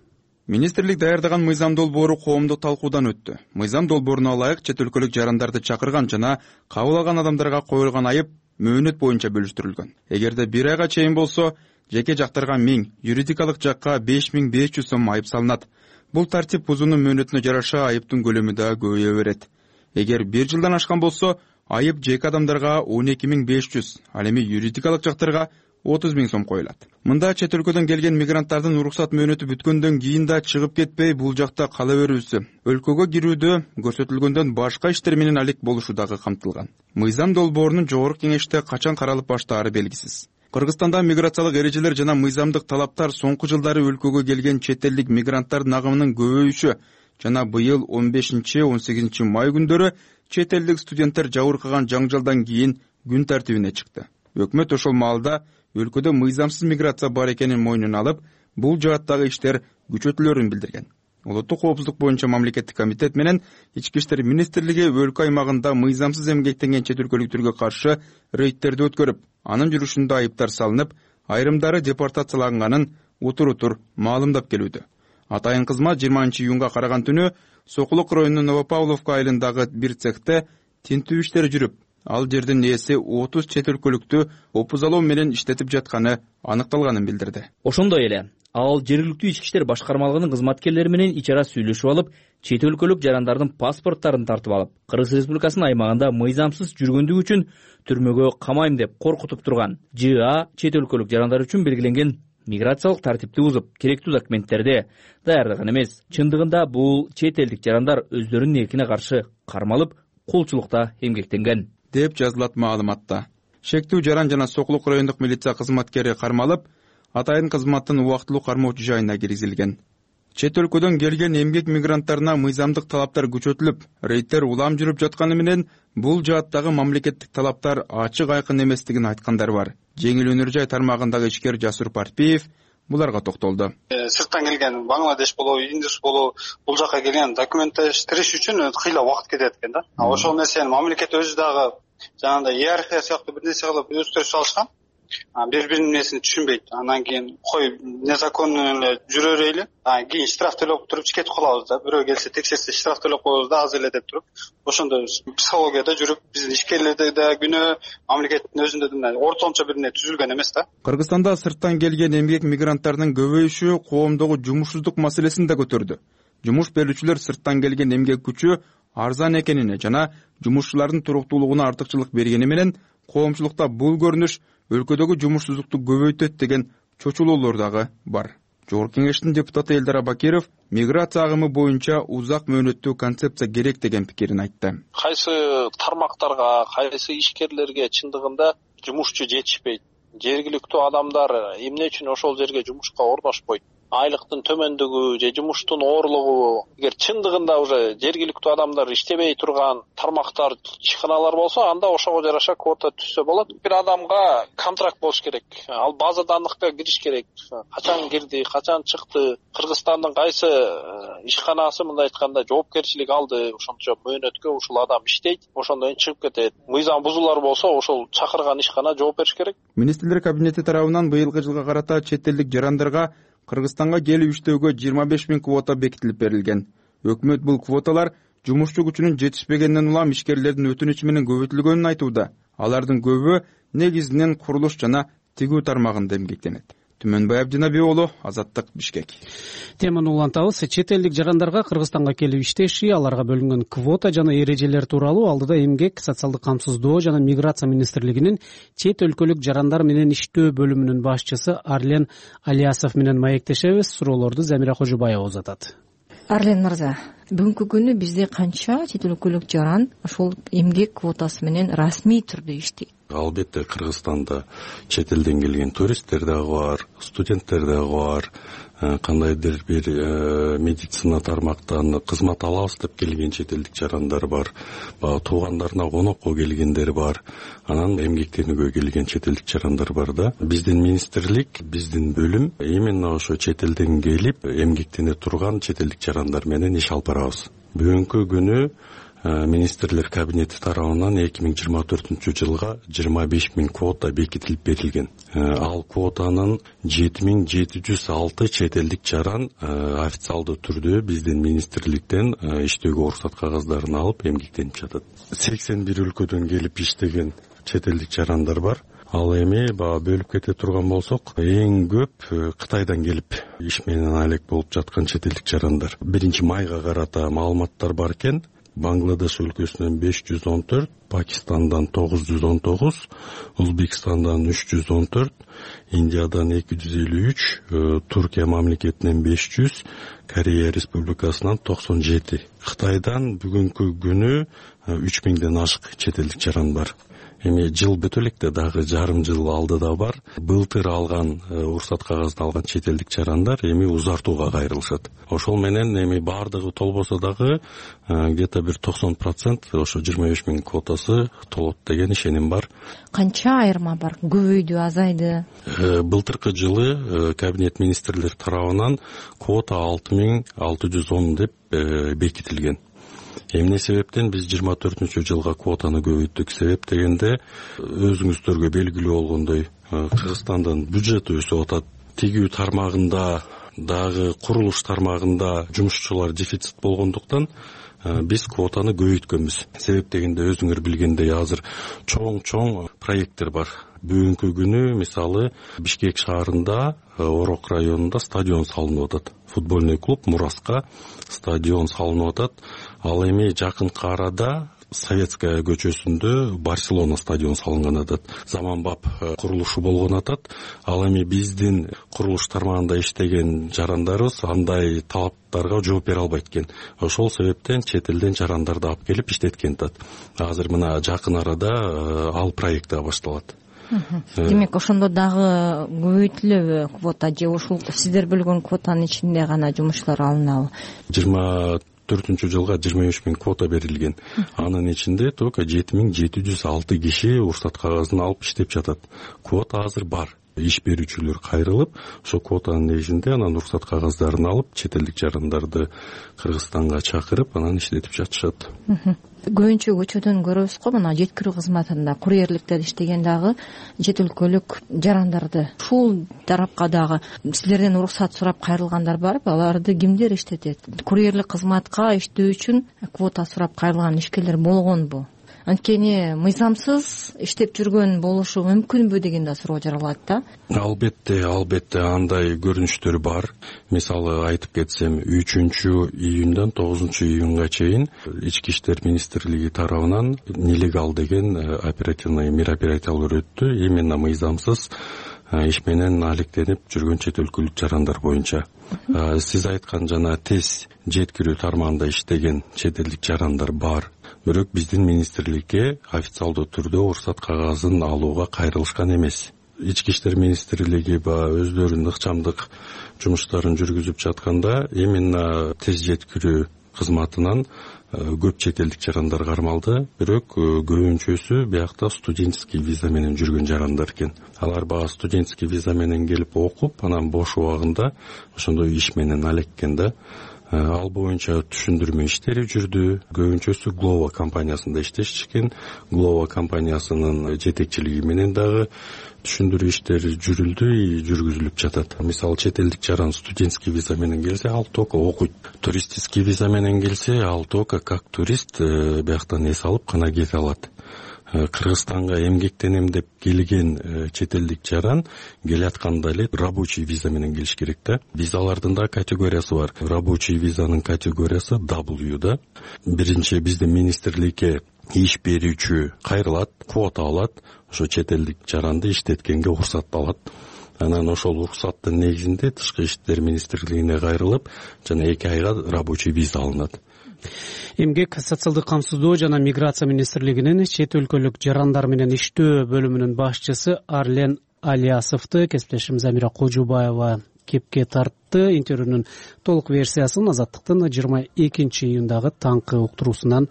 Министрлик даярдаган мыйзам долбоору коомдук талкуудан өттү. Мыйзам долбооруна ылайык чет өлкөлүк жарандарды чакырган жана кабыл алган адамдарга коюлган айып мөөнөт боюнча бөлүштүрүлгөн. Эгерде 1 айга чейин болсо, жеке жактарга 1000, юридикалык жакка 5500 сом айып салынат. Бул тартип бузуунун мөөнөтүнө жараша айыптын көлөмү да көбөйө берет. Эгер 1 жылдан ашкан болсо, айып жеке адамдарга 12500, ал эми юридикалык жактарга 30 000 сом коюлат. Мында чет өлкөдөн келген мигранттардын уруксат мөөнөтү бүткөндөн кийин да чыгып кетпей бул жакта кала берүүсү, өлкөгө кирүүдө көрсөтүлгөндөн башка иштер менен алек болушу дагы камтылган. Мыйзам долбоорунун жогорку кеңеште качан каралып баштаары белгисиз. Кыргызстанда миграциялык эрежелер жана мыйзамдык талаптар соңку жылдары өлкөгө келген чет элдик мигранттардын агымынын көбөйүшү жана быйыл 15-18 май күндөрү чет элдик студенттер жабыркаган жаңжалдан кийин күн тартибине чыкты. Өкмөт ошол маалда өлкөдө мыйзамсыз миграция бар экенин мойнуна алып, бул жааттагы иштер күчөтүлөрүн билдирген. Улуттук коопсуздук боюнча мамлекеттик комитет менен Ички иштер министрлиги өлкө аймагында мыйзамсыз эмгектенген чет өлкөлүктөргө каршы рейдтерди өткөрүп, анын жүрүшүндө айыптар салынып, айрымдары депортацияланганын утур-утур маалымдап келүүдө. Атайын кызмат 20-июнга караган түнү Сокулук районунун Новопавловка айылындагы бир цехте тинтүү иштери жүрүп, ал жердин ээси 30 чет өлкөлүктү опузалоо менен иштетип жатканы аныкталганын билдирди. Ошондой эле ал жергиликтүү ички иштер башкармалыгынын кызматкерлери менен ичара сүйлөшүп алып, чет өлкөлүк жарандардын паспорттарын тартып алып, Кыргыз Республикасынын аймагында мыйзамсыз жүргөндүгү үчүн түрмөгө камайм деп коркутуп турган ЖА чет өлкөлүк жарандар үчүн белгиленген миграциялык тартипти бузуп, керектүү документтерди даярдаган эмес. Чындыгында бул чет элдик жарандар өздөрүнүн эркине каршы кармалып, кулчулукта эмгектенген деп жазылат маалыматта. Шектүү жаран жана Сокулук райондук милиция кызматкери кармалып, атайын кызматтын убактылуу кармоочу жайына киргизилген. Чет өлкөдөн келген эмгек мигранттарына мыйзамдык талаптар күчөтүлүп, рейдтер улам жүрүп жатканы менен бул жааттагы мамлекеттик талаптар ачык айкын эместигин айткандар бар. Жеңил өнөр жай тармагындагы ишкер Жасур Парпиев буларга токтолду. Сырттан келген Бангладеш болобу, Индус болобу, бул жака келген документтештириш үчүн кыйла убакыт кетет экен да. Ошол нерсени мамлекет өзү дагы жанагындай иерархия сыяктуу бир нерсе кылып өстүрүп салышкан. Бири-биринин нерсин түшүнбөйт. Андан кийин кой незаконно эле жүрө берели. Кийин штраф төлөп туруп кетип калабыз да. Бирөө келсе текшерсе штраф төлөп коебуз да, аз эле деп туруп. Ошондой психологияда жүрүп, биздин ишкерлерде да күнөө, мамлекеттин өзүндө да ортомчо бир нерсе түзүлгөн эмес да. Кыргызстанда сырттан келген эмгек мигранттардын көбөйүшү коомдогу жумушсуздук маселесин да көтөрдү. Жумуш берүүчүлөр сырттан келген эмгек күчү арзан экенине жана жумушчулардын туруктуулугуна артыкчылык бергени менен коомчулукта бул көрүнүш өлкөдөгү жумушсуздукту көбөйтөт деген чочулоолор дагы бар. Жогорку кеңештин депутаты Элдар Абакиров миграция агымы боюнча узак мөөнөттүү концепция керек деген пикирин айтты. Кайсы тармактарга, кайсы ишкерлерге чындыгында жумушчу жетишпейт. Жергиликтүү адамдар эмне үчүн ошол жерге жумушка орношпойт? Айлыктын төмөндүгү же жумуштун оорлугу. Эгер чындыгында уже жергиликтүү адамдар иштебей турган тармактар, ишканалар болсо, анда ошого жараша квота түзсө болот. Бир адамга контракт болуш керек. Ал база данныхка кириш керек. Качан кирди, качан чыкты, Кыргызстандын кайсы ишканасы мындай айтканда жоопкерчилик алды, ошончо мөөнөткө ушул адам иштейт, ошондон чыгып кетет. Мыйзам бузуулар болсо, ошол чакырган ишкана жооп бериш керек. Министрлер кабинети тарабынан быйылкы жылга карата чет элдик жарандарга Кыргызстанга келип иштөөгө 25 000 квота бекитилип берилген. Өкмөт бул квоталар жумушчу күчүнүн жетишпегенден улам ишкерлердин өтүнүчү менен көбөйтүлгөнүн айтууда. Алардын көбү негизинен курулуш жана тигүү тармагында эмгектенет. Түмөнбай Абдынаби уулу, Азаттык, Бишкек. Теманы улантабыз. Чет элдик жарандарга Кыргызстанга келип иштеши, аларга бөлүнгөн квота жана эрежелер тууралуу алдыда эмгек, социалдык камсыздоо жана миграция министрлигинин чет өлкөлүк жарандар менен иштөө бөлүмүнүн башчысы Арлен Алиясов менен маектешебиз. Суроолорду Замира Кожубаева узатат. Арлен мырза, бүгүнкү күнү бизде канча чет өлкөлүк жаран ошол эмгек квотасы менен расмий түрдө иштейт? Албетте Кыргызстанда чет элден келген туристтер дагы бар, студенттер дагы бар, кандайдыр бир медицина тармактан кызмат алабыз деп келген чет элдик жарандар бар, баягы туугандарына конокко келгендер бар, анан эмгектенүүгө келген чет элдик жарандар бар да. Биздин министрлик, биздин бөлүм именно ошо чет элден келип эмгектене турган чет элдик жарандар менен иш алып барабыз. Бүгүнкү күнү министрлер кабинети тарабынан 2024 жылга 25 000 квота бекитилип берилген. Ал квотанын 7706 чет элдик жаран официалдуу түрдө биздин министрликтен иштөөгө уруксат кагаздарын алып эмгектенип жатат. 81 өлкөдөн келип иштеген чет элдик жарандар бар. Ал эми бөлүп кете турган болсок, эң көп Кытайдан келип иш менен алек болуп жаткан чет элдик жарандар. 1-майга карата маалыматтар бар экен. Бангладеш өлкөсүнөн 514, Пакистандан 919, Өзбекстандан 314, Индиядан 253, Туркия мамлекетинен 500, Корея республикасынан 97. Кытайдан бүгүнкү күнү 3000ден ашык чет элдик жаран бар. Эми жыл бүтө электе дагы жарым жыл алдыда бар. Былтыр алган уруксат кагазын алган чет элдик жарандар эми узартууга кайрылышат. Ошол менен эми баардыгы толбосо дагы где-то бир 90% ошо 25 000 квотасы толот деген ишеним бар. Канча айырма бар? Көбөйдү, азайды? Былтыркы жылы кабинет министрлер тарабынан квота 6610 деп бекитилген. Эмне себептен биз 24-жылга квотаны көбөйттүк? Себеп дегенде өзүңүздөргө белгилүү болгондой Кыргызстандын бюджети өсүп атат. Тигүү тармагында дагы курулуш тармагында жумушчулар дефицит болгондуктан биз квотаны көбөйткөнбүз. Себеп дегенде өзүңөр билгендей азыр чоң проекттер бар. Бүгүнкү күнү мисалы Бишкек шаарында Орок районунда стадион салынып атат. Футбольный клуб Мураска стадион салынып атат. Ал эми жакынкы арада Советская көчөсүндө Барселона стадион салынган атат. Заманбап курулушу болгон атат. Ал эми биздин курулуш тармагында иштеген жарандарыбыз андай талаптарга жооп бере албайт экен. Ошол себептен чет элден жарандарды алып келип иштеткен атат. Азыр мына жакын арада ал проект да башталат. Демек, ошондо дагы көбөйтүлөбү квота же ушул сиздер бөлгөн квотанын ичинде гана жумушчулар алынабы? 24-жылга 25 000 квота берилген. Анын ичинде только 7706 киши уруксат кагазын алып иштеп жатат. Квота азыр бар. Иш берүүчүлөр кайрылып, ошо квотанын негизинде анан уруксат кагаздарын алып, чет элдик жарандарды Кыргызстанга чакырып, анан иштетип жатышат. Көбүнчө көчөдөн көрөбүз го, мына жеткирүү кызматында курьерликте иштеген дагы чет өлкөлүк жарандарды. Ушул тарапка дагы силерден уруксат сурап кайрылгандар барбы? Аларды кимдер иштетет? Курьерлик кызматка иштөө үчүн квота сурап кайрылган ишкерлер болгонбу? Анткени мыйзамсыз иштеп жүргөн болушу мүмкүнбү деген да суроо жаралат да. Албетте андай көрүнүштөр бар. Мисалы айтып кетсем, 3-июндан 9-июнга чейин Ички иштер министрлиги тарабынан нелегал деген оперативный мероприятиялар өттү. Именно мыйзамсыз иш менен алектенип жүргөн чет өлкөлүк жарандар боюнча. Сиз айткан жана тез жеткирүү тармагында иштеген чет элдик жарандар бар. Бирок биздин министрликке официалдуу түрдө уруксат кагазын алууга кайрылышкан эмес. Ички иштер министрлиги өздөрүнүн ыкчамдык жумуштарын жүргүзүп жатканда именно тез жеткирүү кызматынан көп чет элдик жарандар кармалды. Бирок көбүнчөсү биякта студенческий виза менен жүргөн жарандар экен. Алар студенческий виза менен келип окуп, анан бош убагында ошондой иш менен алеккен да. Ал боюнча түшүндүрмө иштери жүрдү. Көбүнчөсү Глова компаниясында иштешкен. Глова компаниясынын жетекчилиги менен дагы түшүндүрүү иштери жүргүзүлүп жатат. Мисалы чет элдик жаран студенческий виза менен келсе, ал только окуйт. Туристический виза менен келсе, ал только как турист бияктан эс алып гана кете алат. Кыргызстанга эмгектенем деп келген чет элдик жаран келатканда эле рабочий виза менен келиш керек да. Визалардын да категориясы бар. Рабочий визанын категориясы W да. Биринчи биздин министрликке иш берүүчү кайрылат, квота алат, ошо чет элдик жаранды иштеткенге уруксат алат. Анан ошол уруксаттын негизинде тышкы иштер министрлигине кайрылып, жана 2 айга рабочий виза алынат. Эмгек, социалдык камсыздоо жана миграция министрлигинин чет өлкөлүк жарандар менен иштөө бөлүмүнүн башчысы Арлен Алиясовду кесиптешим Замира Кожубаева кепке тартты. Интервьюнун толук версиясын Азаттыктын 22-июндагы таңкы уктуруусунан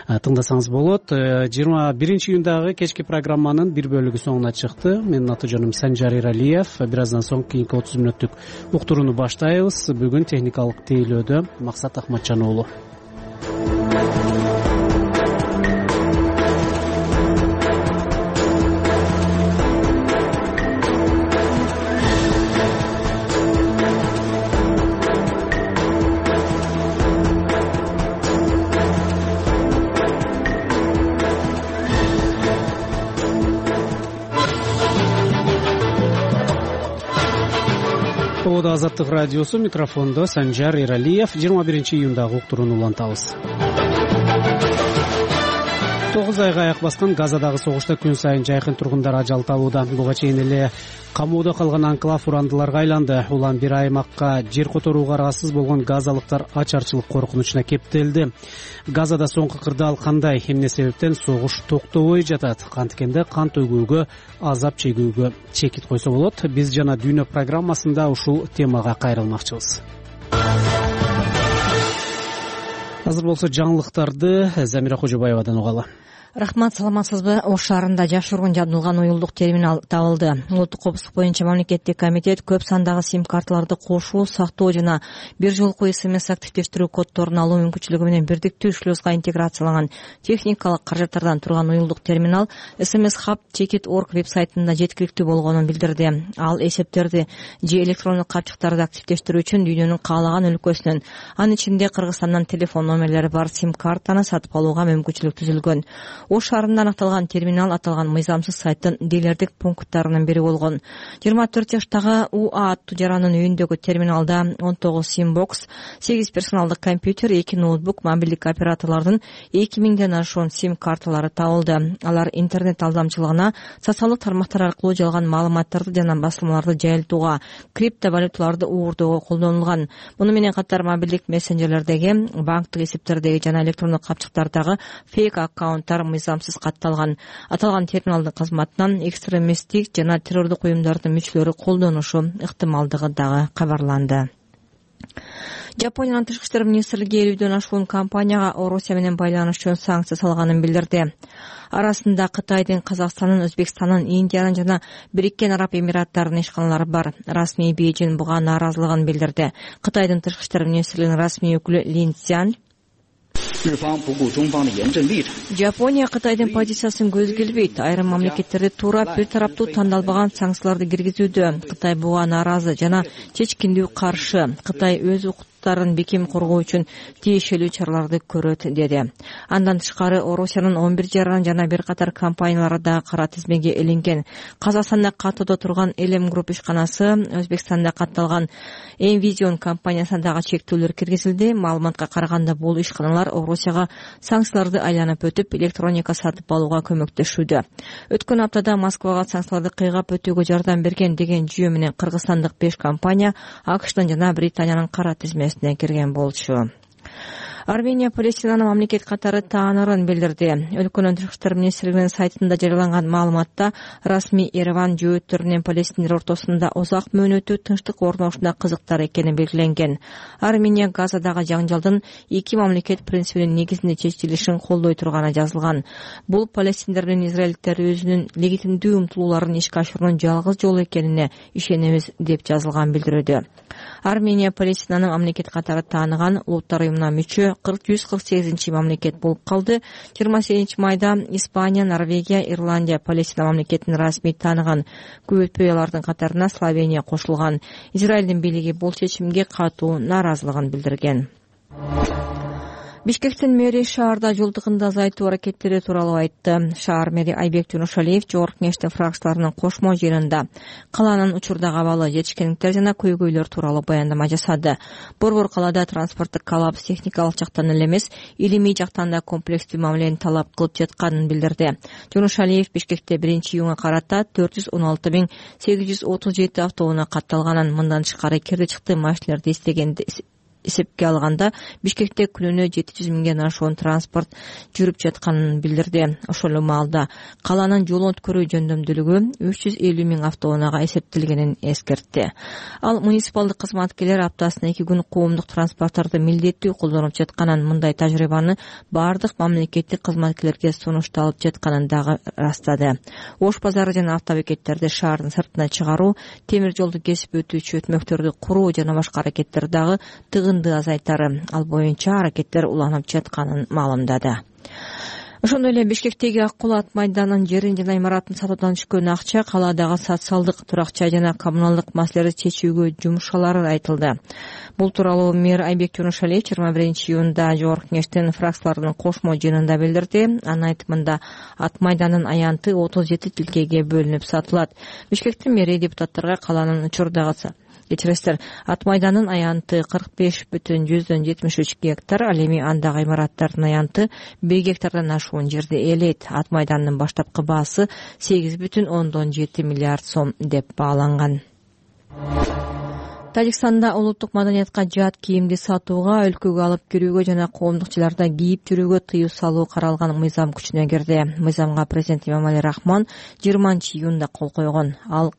тыңдасаңыз болот. 21-июндагы кечки программанын бир бөлүгү соңуна чыкты. Менин аты жөнүм Санжар Эралиев. Бир аздан соң кийинки 30 мүнөттүк уктурууну баштайбыз. Бүгүн техникалык тейлөөдө Максат Ахматжан уулу. Азаттык радиосу, микрофондо Санжар Эралиев. 21-июндагы уктурууну улантабыз. 9 айга аяк баскан Газадагы согушта күн сайын жайкын тургундар ажал табууда. Буга чейин эле камоодо калган анклав урандыларга айланды. Улам бир аймакка жер которууга ыраазсыз болгон газалыктар ачарчылык коркунучуна кептелди. Газада соңку кырдаал кандай, эмне себептен согуш токтобой жатат? Канткенде кан төгүүгө, азап чегүүгө чекит койсо болот. Биз жана дүйнө программасында ушул темага кайрылмакчыбыз. Азыр болсо жаңылыктарды Замира Кожубаевадан угалы. Рахмат, саламатсызбы? Ош шаарында жашыруун жабдылган уюлдук терминал табылды. Улуттук коопсуздук боюнча мамлекеттик комитет көп сандагы сим-карталарды кошуу, сактоо жана бир жолку СМС активдештирүү коддорун алуу мүмкүнчүлүгү менен бирдиктүү шлюзга интеграцияланган техникалык каражаттардан турган уюлдук терминал SMS Hub Ticket.org веб-сайтында жеткиликтүү болгонун билдирди. Ал эсептерди же электрондук капчыктарды активдештирүү үчүн дүйнөнүн каалаган өлкөсүнөн, анын ичинде Кыргызстандан телефон номерлери бар сим-картаны сатып алууга мүмкүнчүлүк түзүлгөн. Ош шаарында аныкталган терминал аталган мыйзамсыз сайттын дилердик пункттарынын бири болгон. 24 жаштагы УА аттуу жарандын үйүндөгү терминалда 19 сим-бокс, 8 персоналдык компьютер, 2 ноутбук, мобилдик операторлордун 2000ден ашуун сим-карталары табылды. Алар интернет алдамчылыгына, социалдык тармактар аркылуу жалган маалыматтарды жана басылмаларды жайылтууга, криптовалюталарды уурдоого колдонулган. Муну менен катар мобилдик мессенджерлердеги, банктык эсептердеги жана электрондук капчыктардагы фейк аккаунттар мыйзамсыз катталган. Аталган терминалдын кызматынан экстремисттик жана террордук уюмдардын мүчөлөрү колдонушу ыктымалдыгы дагы кабарланды. Жапониянын тышкы иштер министрлиги 50дөн ашуун компанияга Орусия менен байланыш үчүн санкция салганын билдирди. Арасында Кытайдын, Казакстандын, Өзбекстандын, Индиянын жана Бириккен Араб Эмираттарынын ишканалары бар. Расмий Бейжин буга нааразылыгын билдирди. Кытайдын тышкы иштер министрлигинин расмий өкүлү Лин Цзян Жапония Кытайдын позициясын көзгө илбейт. Айрым мамлекеттерди туура бир тараптуу тандалбаган санкцияларды киргизүүдө. Кытай буга нааразы жана чечкиндүү каршы. Кытай өз бекем коргоо үчүн тиешелүү чараларды көрөт, деди. Андан тышкары Орусиянын 11 жаран жана бир катар компаниялары да кара тизмеге илинген. Казакстанда каттоодо турган Элем Групп ишканасы, Өзбекстанда катталган Envision компаниясына дагы чектөөлөр киргизилди. Маалыматка караганда бул ишканалар Орусияга санкцияларды айланып өтүп, электроника сатып алууга көмөктөшүүдө. Өткөн аптада Москвага санкцияларды кыйгап өтүүгө жардам берген деген жүйө менен кыргызстандык 5 компания АКШтын жана Британиянын кара тизмесине кирген болчу. Армения Палестинаны мамлекет катары таанырын билдирди. Өлкөнүн тышкы иштер министрлигинин сайтында жарыяланган маалыматта расмий Ереван жөөттөр менен палестиндер ортосунда узак мөөнөттүү тынчтык орношуна кызыктар экени белгиленген. Армения Газадагы жаңжалдын эки мамлекет принцибинин негизинде чечилишин колдой турганы жазылган. Бул палестиндер менен израилдиктер өзүнүн легитимдүү умтулууларын ишке ашыруунун жалгыз жолу экенине ишенебиз, деп жазылган билдирүүдө. Армения Палестинаны мамлекет катары тааныган улуттар уюмуна мүчө 148 мамлекет болуп калды. 28 майда Испания, Норвегия, Ирландия Палестина мамлекетин расмий тааныган. Көп өтпөй алардын катарына Словения кошулган. Израилдин бийлиги бул чечимге катуу нааразылыгын билдирген. Бишкектин мэри шаарда жол тыгынды азайтуу аракеттери тууралуу айтты. Шаар мэри Айбек Жунушалиев жогорку кеңештин фракцияларынын кошмо жыйынында калаанын учурдагы абалы, жетишкендиктер жана көйгөйлөр тууралуу баяндама жасады. Борбор калаада транспорттук коллапс техникалык жактан эле эмес, илимий жактан да комплекстүү мамилени талап кылып жатканын билдирди. Жунушалиев Бишкекте 1-июнга карата 416.837 автоунаа катталганын, мындан тышкары кирди чыкты машиналерди эсепке алганда Бишкекте күнүнө 700 миңден ашуун транспорт жүрүп жатканын билдирди. Ошол маалда каланын жол өткөрүү жөндөмдүүлүгү 350 миң автоунаага эсептелгенин эскертти. Ал муниципалдык кызматкерлер аптасына 2 күн коомдук транспорттарды милдеттүү колдонуп жатканын, мындай тажрыйбаны баардык мамлекеттик кызматкерлерге сунушталып жатканын дагы растады. Ош базары жана автобекеттерди шаардын сыртына чыгаруу, темир жолду кесип өтүүчү өтмөктөрдү куруу жана башка аракеттер дагы тыгынды азайтары. Ал боюнча аракеттер уланып жатканын маалымдады. Ошондой эле Бишкектеги Ак Кул ат майданынын жерин жана имаратын сатуудан түшкөн акча калаадагы социалдык, турак жай жана коммуналдык маселелерди чечүүгө жумшалары айтылды. Бул тууралуу мэр Айбек Жонушалиев 21-июнда Жогорку Кеңештин фракциялардын кошмо жыйынында билдирди. Анын айтымында ат майданынын аянты 37 тилкеге бөлүнүп сатылат. Бишкектин мэри депутаттарга каланын учурдагы ат майданынын аянты 45,73 гектар, ал эми андагы имараттардын аянты 1 гектардан ашуун жерди ээлейт. Ат майданынын баштапкы баасы 8,7 миллиард сом деп бааланган. Тажикстанда улуттук маданиятка жат кийимди сатууга, өлкөгө алып кирүүгө жана коомдук жайларда кийип жүрүүгө тыюу салуу каралган мыйзам күчүнө кирди. Мыйзамга президент Эмомали Рахмон 20-июнда кол койгон. Ал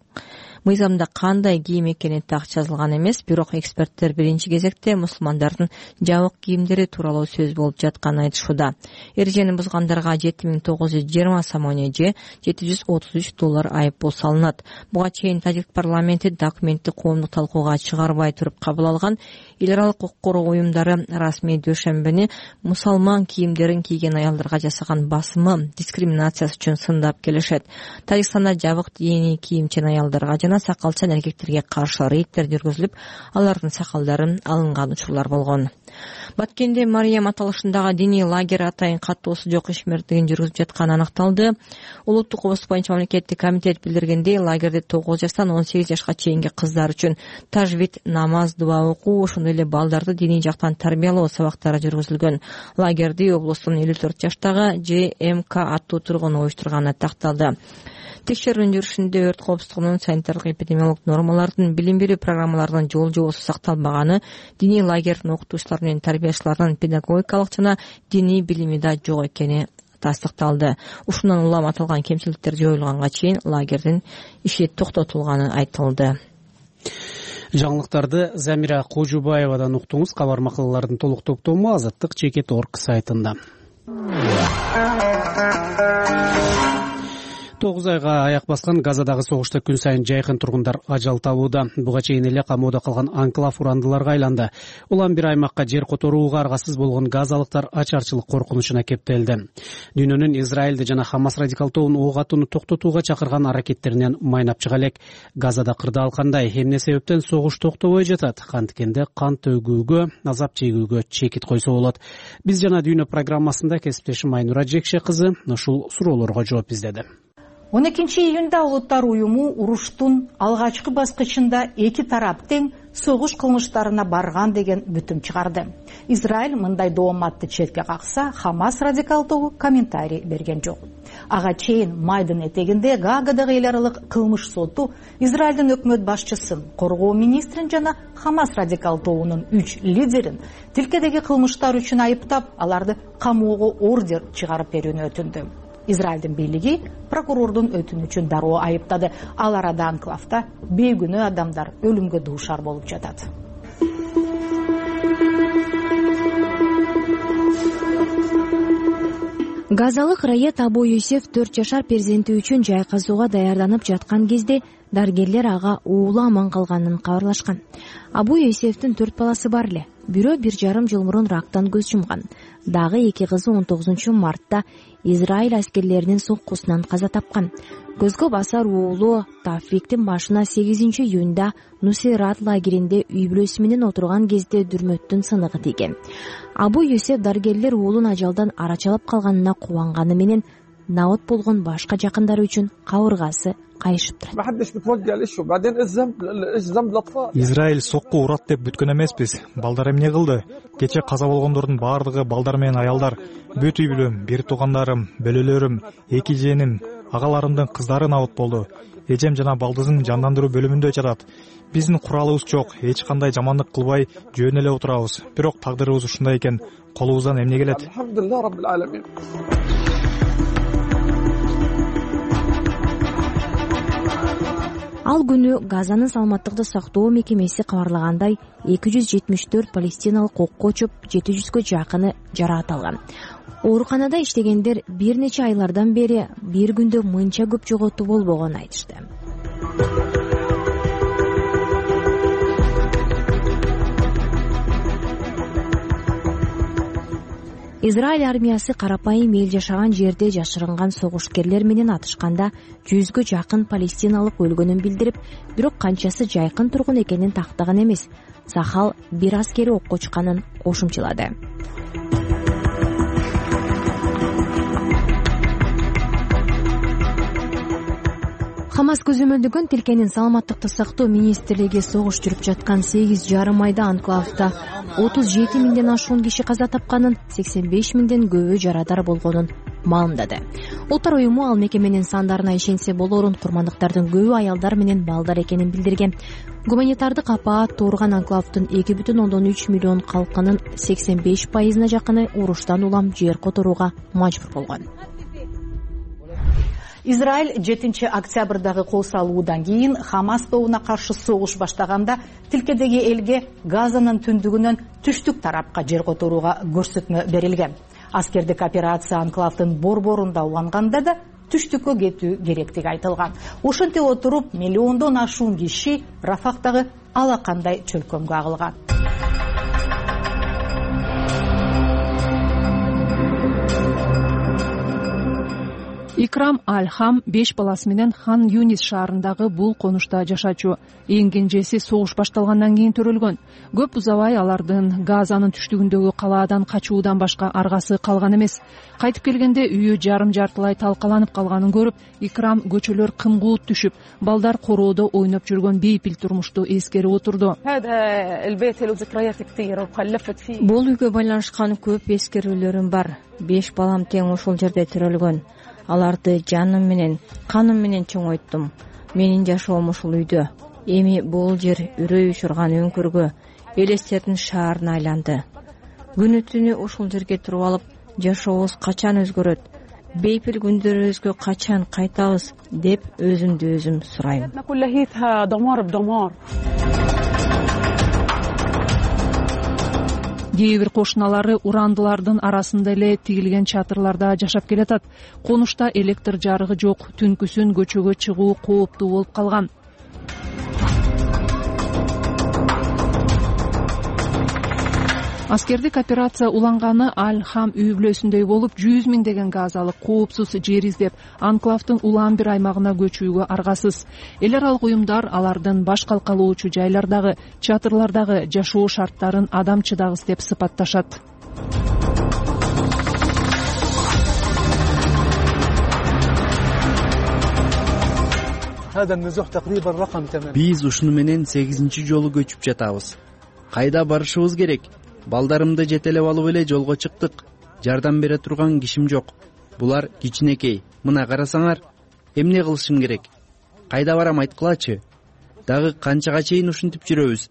мыйзамда кандай кийим экени так жазылган эмес, бирок эксперттер биринчи кезекте мусулмандардын жабык кийимдери тууралуу сөз болуп жатканын айтышууда. Эрежени бузгандарга 7920 сомоне же $733 айыппул салынат. Буга чейин Тажик парламенти документти коомдук талкууга чыгарбай туруп кабыл алган. Эл аралык укук коргоо уюмдары расмий дүйшөмбүнү мусулман кийимдерин кийген аялдарга жасаган басымы, дискриминациясы үчүн сындап келишет. Тажикстанда жабык диний кийимчен аялдарга жана сакалчан эркектерге каршы рейдтер жүргүзүлүп, алардын сакалдарын алынган учурлар болгон. Баткенде Мариям аталышындагы диний лагерь атайын каттоосу жок ишмердигин жүргүзүп жатканы аныкталды. Улуттук обус боюнча мамлекеттик комитет билдиргендей, лагерде 9 жаштан 18 жашка чейинки кыздар үчүн тажвид, намаз, дуа окуу, ошондой эле балдарды диний жактан тарбиялоо сабактары жүргүзүлгөн. Лагерди облустун 54 жаштагы ЖМК аттуу тургуну уюштурганы такталды. Текшерүүнүн жүрүшүндө өрт коопсуздугунун санитардык эпидемиологдук нормалардын, билим берүү программаларынын жол жобосу сакталбаганы, диний лагердин окутуучулары менен тарбиячыларынын педагогикалык жана диний билими да жок экени тастыкталды. Ушундан улам аталган кемчиликтер жоюлганга чейин лагердин иши токтотулганы айтылды. Жаңылыктарды Замира Кожубаевадан уктуңуз. Кабар макалалардын толук топтому Азаттык.org сайтында. 9 айга аяк баскан Газадагы согушта күн сайын жайкын тургундар ажал табууда. Буга чейин эле камоодо калган анклав урандыларга айланды. Улам бир аймакка жер которууга аргасыз болгон газалыктар ачарчылык коркунучуна кептелди. Дүйнөнүн Израилди жана Хамас радикал тобун ок атууну токтотууга чакырган аракеттеринен майнап чыга элек. Газада кырдаал кандай, эмне себептен согуш токтобой жатат? Канткенде кан төгүүгө, азап чегүүгө чекит койсо болот. Биз жана Дүйнө программасында кесиптешим Айнура Жекше кызы ушул суроолорго жооп издеди. 12-июнда Улуттар уюму уруштун алгачкы баскычында эки тарап тең согуш кылмыштарына барган деген бүтүм чыгарды. Израиль мындай дооматты четке какса, Хамас радикал тобу комментарий берген жок. Ага чейин майдын этегинде Гаагадагы эл аралык кылмыш соту Израилдин өкмөт башчысын, коргоо министрин жана Хамас радикал тобунун 3 лидерин тилкедеги кылмыштар үчүн айыптап, аларды камоого ордер чыгарып берүүнү өтүндү. Израилдин бийлиги прокурордун өтүнүчүн дароо айыптады. Ал арада анклавда бейгүнөө адамдар өлүмгө дуушар болуп жатат. Газалык Раят Абу Юсеф 4 жашар перзенти үчүн жайкасууга даярданып жаткан кезде дарыгерлер ага уулу аман калганын кабарлашкан. Абу Юсефтин 4 баласы бар эле. Бирөө 1,5 жыл мурун рактан көз жумган. Дагы эки кызы 19 мартта Израиль аскерлеринин соккусунан каза тапкан. Көзгө басар уулу Тафриктин башына 8-июнда Нусейрат лагеринде үй бүлөсү менен отурган кезде дүрмөттүн сыныгы тийген. Абу Юсеф дарыгерлер уулун ажалдан арачалап калганына кубанганы менен наот болгон башка жакындары үчүн кабыргасы кайышып турат. Израиль сокку урат деп бүткөн эмеспиз. Балдар эмне кылды? Кече каза болгондордун баардыгы балдар менен аялдар. Бүт үй бүлөм, бир туугандарым, бөлөлөрүм, эки жээним, агаларымдын кыздары наот болду. эжем жана балдызым жандандыруу бөлүмүндө жатат. Биздин куралыбыз жок, эч кандай жамандык кылбай жөн эле отурабыз. Бирок тагдырыбыз ушундай экен, колубуздан эмне келет? Ал күнү Газанын саламаттыкты сактоо мекемеси кабарлагандай 274 палестиналык окко учуп, 700гө жакыны жараат алган. Ооруканада иштегендер бир нече айлардан бери бир күндө мынча көп жоготуу болбогонун айтышты. Израиль армиясы карапайым эл жашаган жерде жашырынган согушкерлер менен атышканда 100гө жакын палестиналык өлгөнүн билдирип, бирок канчасы жайкын тургун экенин тактаган эмес. Сахал бир аскери окко учканын кошумчалады. Хамас көзөмөлдөгөн тилкенин саламаттыкты сактоо министрлиги согуш жүрүп жаткан 8,5 айда анклавда 37 миңден ашуун киши каза тапканын, 85 миңден көбү жарадар болгонун маалымдады. Улуттар уюму ал мекеменин сандарына ишенсе болорун, курмандыктардын көбү аялдар менен балдар экенин билдирген. Гуманитардык апаат туурган анклавдын 2,3 миллион калкынын 85%-на жакыны уруштан улам жер которууга мажбур болгон. Израиль 7-октябрдагы кол салуудан кийин Хамас тобуна каршы согуш баштаганда тилкедеги элге Газанын түндүгүнөн түштүк тарапка жер которууга көрсөтмө берилген. Аскердик операция анклавдын борборунда уланганда да түштүккө кетүү керектиги айтылган. Ошентип отуруп, миллиондон ашуун киши Рафактагы ала кандай чөлкөмгө агылган. Икрам Аль-Хам 5 баласы менен Хан Юнис шаарындагы бул конушта жашачу. Эң кенжеси согуш башталгандан кийин төрөлгөн. Көп узабай алардын Газанын түштүгүндөгү калаадан качуудан башка аргасы калган эмес. Кайтып келгенде үйү жарым-жартылай талкаланып калганын көрүп, Икрам көчөлөр кымгуут түшүп, балдар короодо ойноп жүргөн бейпил турмушту эскерип отурду. Бул үйгө байланышкан көп эскерүүлөрүм бар. 5 балам тең ушул жерде төрөлгөн. Аларды жаным менен, каным менен чоңойттум. Менин жашоом ушул үйдө. Эми бул жер үрөй учурган өңкүргө, элестердин шаарына айланды. Күнү түнү ушул жерге туруп алып, жашообуз качан өзгөрөт, бейпил күндөрүбүзгө качан кайтабыз деп өзүмдү өзүм сурайм. Кээ бир кошуналары урандылардын арасында эле тигилген чатырларда жашап келатат. Конушта электр жарыгы жок, түнкүсүн көчөгө чыгуу кооптуу болуп калган. Аскердик операция уланганы Аль-Хам үй бүлөсүндөй болуп, 100 миңдеген газалык коопсуз жер издеп, анклавдын улам бир аймагына көчүүгө аргасыз. Эл аралык уюмдар алардын баш калкалоочу жайлардагы, чатырлардагы жашоо шарттарын адам чыдагыс деп сыпатташат. Биз ушуну менен 8-чи жолу көчүп жатабыз. Кайда барышыбыз керек? Балдарымды жетелеп алып эле жолго чыктык. Жардам бере турган кишим жок. Булар кичинекей. Мына карасаңар, эмне кылышым керек? Кайда барам айткылачы? Дагы канчага чейин ушинтип жүрөбүз?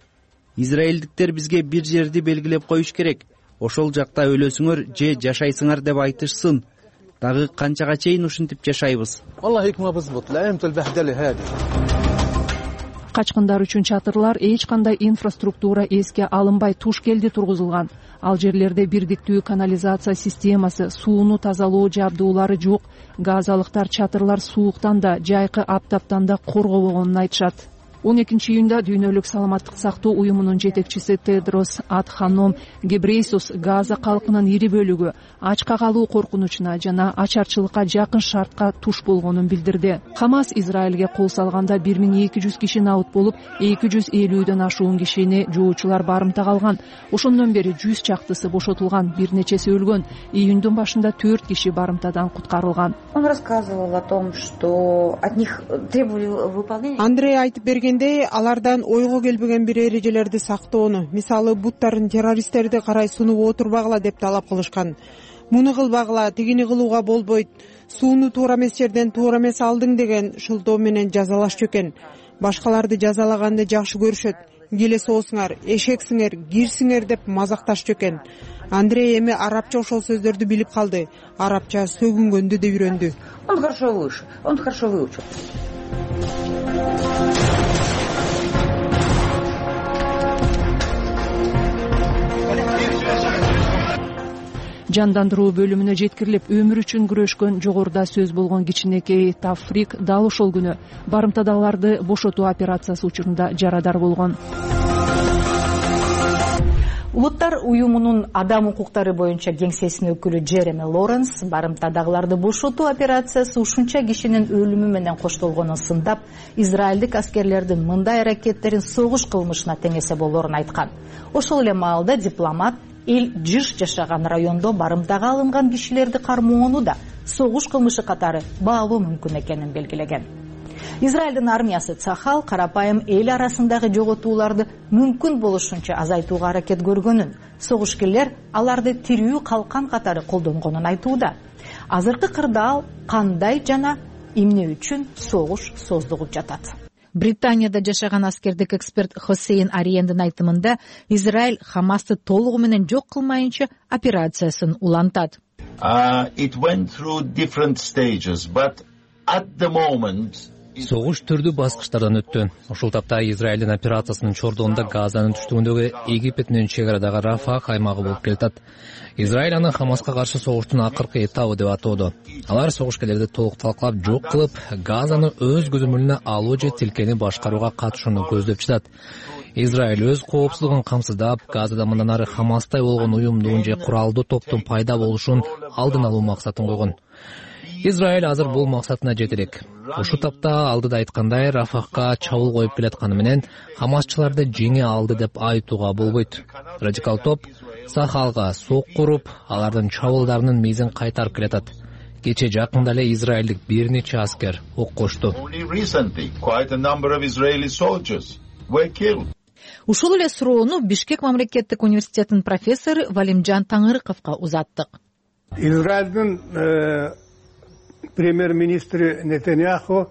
Израилдиктер бизге бир жерди белгилеп коюш керек. Ошол жакта өлөсүңөр же жашайсыңар деп айтышсын. Дагы канчага чейин ушинтип жашайбыз? Качкындар үчүн чатырлар эч кандай инфраструктура эске алынбай Тушкелде тургузулган. Ал жерлерде бирдиктүү канализация системасы, сууну тазалоо жабдуулары жок. Газалыктар чатырлар сууктан да, жайкы аптаптан да коргобогонун айтышат. 12-июнда Дүйнөлүк саламаттык сактоо уюмунун жетекчиси Тедрос Адханом Гебрейсус Газа калкынын ири бөлүгү ачка калуу коркунучуна жана ачарчылыкка жакын шартка туш болгонун билдирди. Хамас Израилге кол салганда 1200 киши набыт болуп, 250дөн ашуун кишини жоочулар барымтага алган. Ошондон бери 100 чактысы бошотулган, бир нечеси өлгөн. Июндун башында 4 киши барымтадан куткарылган. Он рассказывал о том, что от них требовали выполнения. Андрей айтып берген алардан ойго келбеген бир эрежелерди сактоону, мисалы буттарын террористтерди карай сунуп отурбагыла деп талап кылышкан. Муну кылбагыла, тигини кылууга болбойт. Сууну туура эмес жерден туура эмес алдың деген шылтоо менен жазалашчу экен. Башкаларды жазалаганды жакшы көрүшөт. Келе соосуңар, эшексиңер, кирсиңер деп мазакташчу экен. Андрей эми арабча ошол сөздөрдү билип калды. Арабча сөгүнгөндү да үйрөндү. Он хорошо выучил. Жандандыруу бөлүмүнө жеткирилип өмүр үчүн күрөшкөн жогоруда сөз болгон кичинекей Тафрик дал ошол күнү барымтадагыларды бошотуу операциясы учурунда жарадар болгон. Улуттар уюмунун адам укуктары боюнча кеңсесинин өкүлү Джереми Лоренс барымтадагыларды бошотуу операциясы ушунча кишинин өлүмү менен коштолгонун сындап, израилдик аскерлердин мындай аракеттерин согуш кылмышына теңесе болоорун айткан. Ошол эле маалда дипломат эл жыш жашаган райондо барымтага алынган кишилерди кармоону да согуш кылмышы катары баалоо мүмкүн экенин белгилеген. Израилдин армиясы Цахал карапайым эл арасындагы жоготууларды мүмкүн болушунча азайтууга аракет көргөнүн, согушкерлер аларды тирүү калкан катары колдонгонун айтууда. Азыркы кырдаал кандай жана эмне үчүн согуш создугуп жатат? Британияда жашаган аскердик эксперт Хосейн Ариендин айтымында Израиль Хамасты толугу менен жок кылмайынча операциясын улантат. Согуш түрдүү баскычтардан өттү. Ошол тапта Израилдин операциясынын чордугунда Газанын түштүгүндөгү Египет менен чек арадагы Рафах аймагы болуп келатат. Израиль аны Хамаска каршы согуштун акыркы этабы деп атоодо. Алар согушкерлерди толук талкалап жок кылып, Газаны өз көзөмөлүнө алуу же тилкени башкарууга катышууну көздөп жатат. Израиль өз коопсуздугун камсыздап, Газада мындан ары Хамастай болгон уюмдун же куралдуу топтун пайда болушун алдын алуу максатын койгон. Израиль азыр бул максатына жетерек. Ушул тапта алдыда айткандай Рафахка чабуул коюп келатканы менен Хамасчыларды жеңе алды деп айтууга болбойт. Радикал топ Сахалга сок куруп, алардын чабуулдарынын мезин кайтарып келатат. Кече жакында эле израилдик бир нече аскер ок кошту. Ушул эле суроону Бишкек мамлекеттик университетинин профессору Валимжан Таңырыковго узаттык. Израилдин премьер-министри Нетаньяху,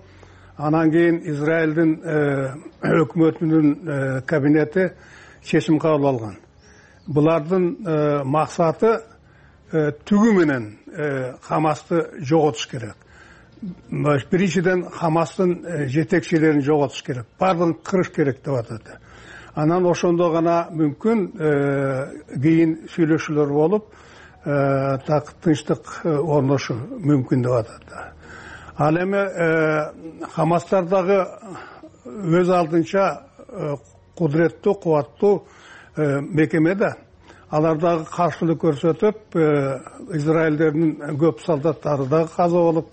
анан кийин Израилдин өкмөтүнүн кабинети чечим кабыл алган. Булардын максаты түгү менен Хамасты жоготуш керек. Биринчиден Хамастын жетекчилерин жоготуш керек. Бардыгын кырыш керек деп атат. Анан ошондо гана мүмкүн кийин сүйлөшүүлөр болуп, тынчтык орношу мүмкүн деп атат. Ал эми Хамастардагы өз алдынча кудуреттүү, кубаттуу мекеме да. Алар дагы каршылык көрсөтүп, израилдердин көп солдаттары дагы каза болуп,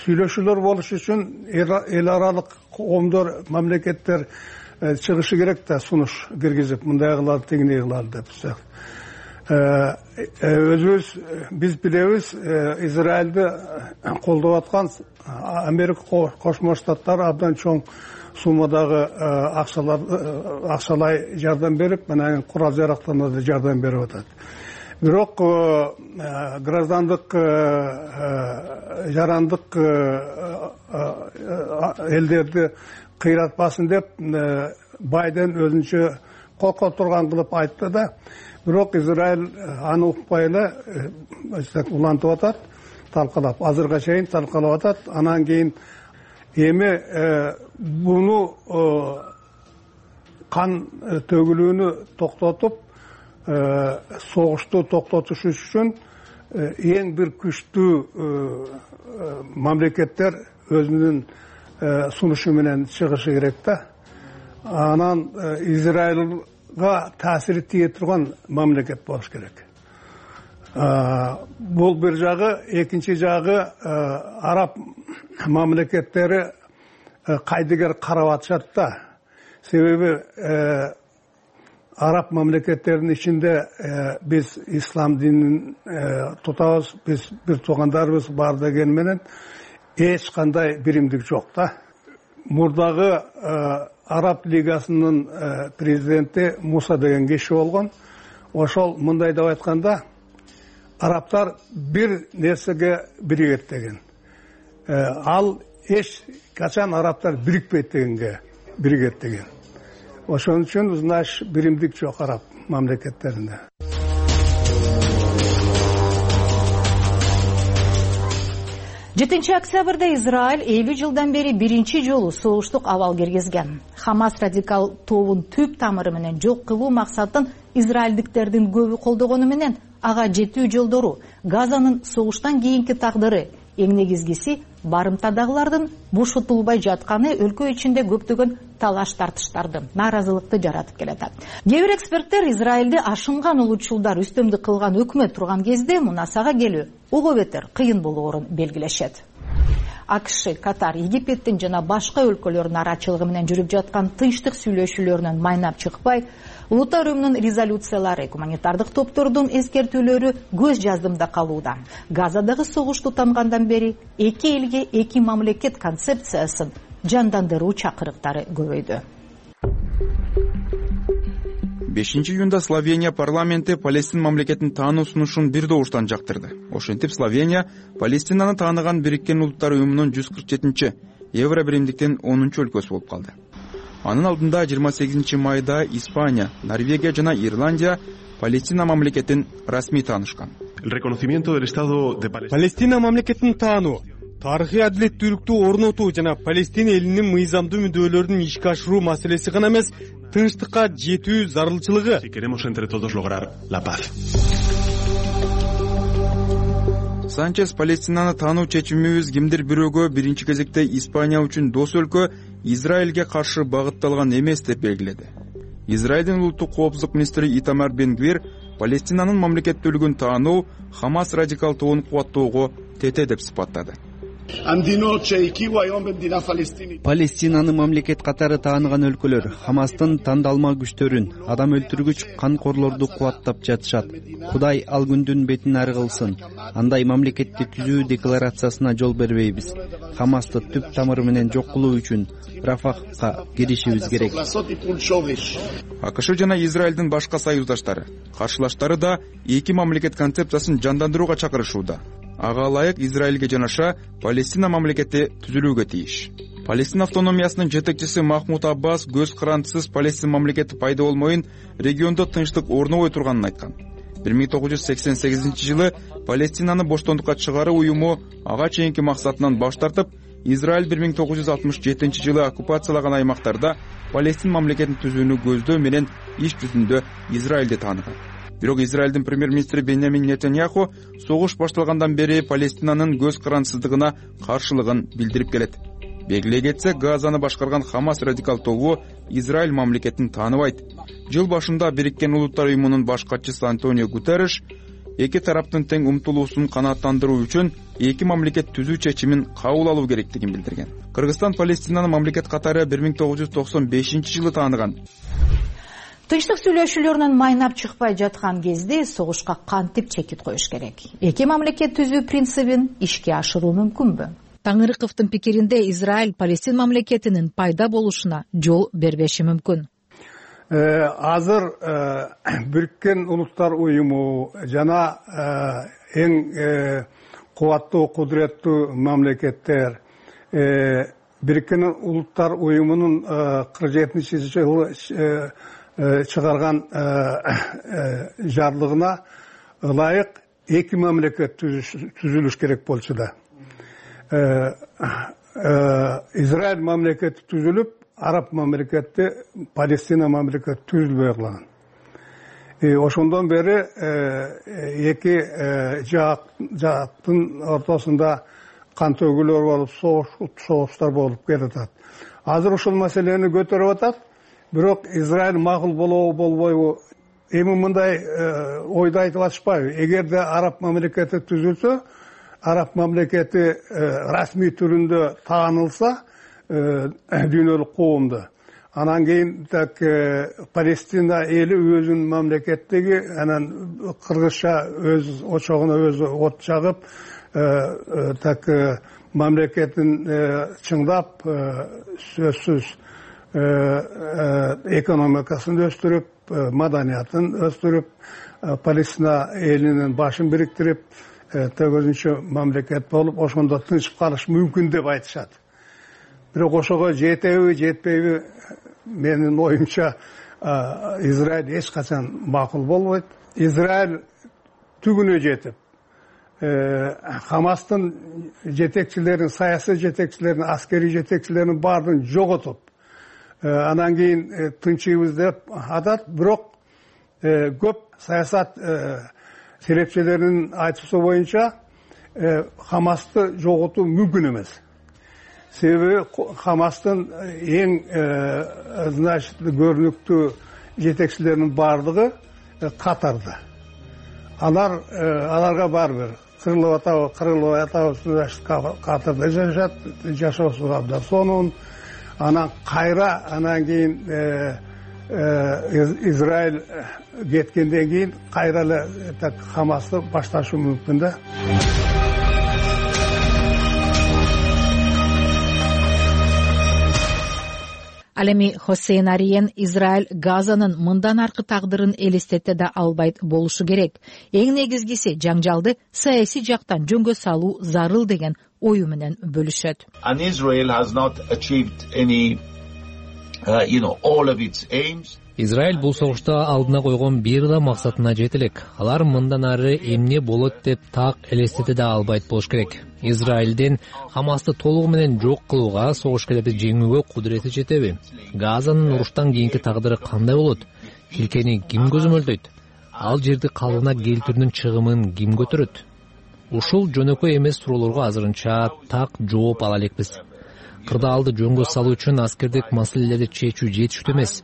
сүйлөшүүлөр болуш үчүн эл аралык коомдор, мамлекеттер чыгышы керек да, сунуш киргизип, мындай кылалы, тигиндей кылалы деп. Өзүбүз биз билебиз, Израилди колдоп аткан Америка Кошмо Штаттары абдан чоң суммадагы акчалай жардам берип, мына курал жарактарына да жардам берип атат. Бирок граждандык жарандык элдерди кыйратпасын деп Байден өзүнчө коркот турган кылып айтты да, бирок Израиль аны укпай эле улантып атат, талкалап, азырга чейин талкалап атат. Анан кийин эми буну кан төгүлүүнү токтотуп, согушту токтотуш үчүн эң бир күчтүү мамлекеттер өзүнүн сунушу менен чыгышы керек да. Анан Израилга таасири тие турган мамлекет болуш керек. Бул бир жагы, экинчи жагы араб мамлекеттери кайдыгер карап атышат да. Себеби араб мамлекеттеринин ичинде биз ислам динин тутабыз, биз бир туугандарыбыз бар деген менен эч кандай биримдик жок да. Мурдагы Араб лигасынын президенти Муса деген киши болгон. Ошол мындай деп айтканда, арабтар бир нерсеге биригет деген. ал эч качан арабтар бирикпейт дегенге биригет деген. Ошон үчүн значит биримдик жок араб мамлекеттеринде. 7 октябрда Израиль 50 жылдан бери биринчи жолу согуштук абал киргизген. Хамас радикал тобун түп тамыры менен жок кылуу максатын израилдиктердин көбү колдогону менен ага жетүү жолдору, Газанын согуштан кийинки тагдыры, эң негизгиси барымтадагылардын бошотулбай жатканы өлкө ичинде көптөгөн талаш тартыштарды, нааразылыкты жаратып келатат. Кээ бир эксперттер Израилди ашынган улутчулдар үстөмдүк кылган өкмөт турган кезде мунасага келүү ого бетер кыйын болоорун белгилешет. АКШ, Катар, Египеттин жана башка өлкөлөрдүн арачылыгы менен жүрүп жаткан тынчтык сүйлөшүүлөрүнөн майнап чыкпай, улуттар уюмунун резолюциялары, гуманитардык топтордун эскертүүлөрү көз жаздымда калууда. Газадагы согуш тутангандан бери эки элге эки мамлекет концепциясын жандандыруу чакырыктары көбөйдү. 5 июнда Словения парламенти Палестин мамлекетин таануу сунушун бир добуштан жактырды. Ошентип Словения Палестинаны тааныган Бириккен Улуттар уюмунун 147-чи евро биримдиктин 10-чу өлкөсү болуп калды. Анын алдында 28 майда Испания, Норвегия жана Ирландия Палестина мамлекетин расмий таанышкан. Палестина мамлекетин таануу, тарыхый адилеттүүлүктү орнотуу жана Палестина элинин мыйзамдуу мүддөөлөрүн ишке ашыруу маселеси гана эмес, тынчтыкка жетүү зарылчылыгы. Санчес Палестинаны таануу чечимибиз кимдир бирөөгө биринчи кезекте Испания үчүн дос өлкө, Израилге каршы багытталган эмес деп белгиледи. Израилдин улуттук коопсуздук министри Итамар Бен-Гвир Палестинанын мамлекеттүүлүгүн таануу Хамас радикал тобун кубаттоого тете деп сыпаттады. Палестинаны мамлекет катары тааныган өлкөлөр Хамастын тандалма күчтөрүн, адам өлтүргүч канкорлорду кубаттап жатышат. Кудай ал күндүн бетин ары кылсын. Андай мамлекетти түзүү декларациясына жол бербейбиз. Хамасты түп тамыры менен жок кылуу үчүн Рафахка киришибиз керек. АКШ жана Израилдин башка союздаштары, каршылаштары да эки мамлекет концепциясын жандандырууга чакырышууда. Ага ылайык Израилге жанаша Палестина мамлекети түзүлүүгө тийиш. Палестин автономиясынын жетекчиси Махмуд Аббас көз карандысыз Палестин мамлекети пайда болмоюн, региондо тынчтык орнобой турганын айткан. 1988-жылы Палестинаны боштондукка чыгаруу уюму ага чейинки максатынан баш тартып, Израиль 1967-жылы оккупациялаган аймактарда Палестин мамлекетин түзүүнү көздөө менен иш жүзүндө Израилди тааныган. Бирок Израилдин премьер-министри Беньямин Нетаньяху согуш башталгандан бери Палестинанын көз карандысыздыгына каршылыгын билдирип келет. Белгилей кетсек, Газаны башкарган Хамас радикал тобу Израиль мамлекетин тааныбайт. Жыл башында Бириккен Улуттар уюмунун баш катчысы Антонио Гутерриш эки тараптын тең умтулуусун канааттандыруу үчүн эки мамлекет түзүү чечимин кабыл алуу керектигин билдирген. Кыргызстан Палестинаны мамлекет катары 1995-жылы тааныган. Тынчтык сүйлөшүүлөрүнөн майнап чыкпай жаткан кезде согушка кантип чекит коюш керек? Эки мамлекет түзүү принцибин ишке ашыруу мүмкүнбү? Таңырыковдун пикиринде Израиль Палестин мамлекетинин пайда болушуна жол бербеши мүмкүн. Азыр Бириккен Улуттар уюму жана эң кубаттуу, кудуреттүү мамлекеттер Бириккен Улуттар уюмунун 47-жылы чыгарган жарлыгына ылайык эки мамлекет түзүлүш керек болчу да. Израиль мамлекети түзүлүп, араб мамлекети, Палестина мамлекети түзүлбөй калган. Ошондон бери эки жактын ортосунда кан төгүүлөр болуп, согуштар болуп келатат. Азыр ушул маселени көтөрүп атат. Бирок Израиль макул болобу, болбойбу, эми мындай ойду айтып атышпайбы? Эгерде араб мамлекети түзүлсө, араб мамлекети расмий түрүндө таанылса, дүйнөлүк коомдо. Анан кийин так Палестина эли өзүнүн мамлекеттеги, анан кыргызча өз очогуна өзү от жагып, так мамлекетин чыңдап, сөзсүз экономикасын өстүрүп, маданиятын өстүрүп, Палестина элинин башын бириктирип, төгөзүнчү мамлекет болуп ошондо тынчып калыш мүмкүн деп айтышат. Бирок ошого жетеби жетпейби менин оюмча Израиль эч качан макул болбойт. Израиль түгүнө жетип Хамастын жетекчилерин, саясий жетекчилерин, аскерий жетекчилерин баардыгын жоготуп, анан кийин тынчыбыз деп атат. Бирок көп саясат серепчилеринин айтуусу боюнча Хамасты жоготуу мүмкүн эмес. Себеби Хамастын эң көрүнүктүү жетекчилеринин баардыгы Катарда. Аларга барбыр кырылып атабыз Катарда жашашат, жашоосу абдан сонун. Анан кайра анан кийин Израиль кеткенден кийин кайра эле Хамасты башташы мүмкүн да. Ал эми Хосейн Ариен Израиль Газанын мындан аркы тагдырын элестете да албайт болушу керек. Эң негизгиси жаңжалды саясий жактан жөнгө салуу зарыл деген ою менен бөлүшөт. Израиль бул согушта алдына койгон бир да максатына жете элек. Алар мындан ары эмне болот деп так элестете да албайт болуш керек. Израилдин Хамасты толугу менен жок кылууга, согушкерлерди жеңүүгө кудурети жетеби? Газанын уруштан кийинки тагдыры кандай болот? Тилкени ким көзөмөлдөйт? Ал жерди калыбына келтирүүнүн чыгымын ким көтөрөт? Ушул жөнөкөй эмес суроолорго азырынча так жооп ала элекпиз. Кырдаалды жөнгө салуу үчүн аскердик маселелерди чечүү жетиштүү эмес.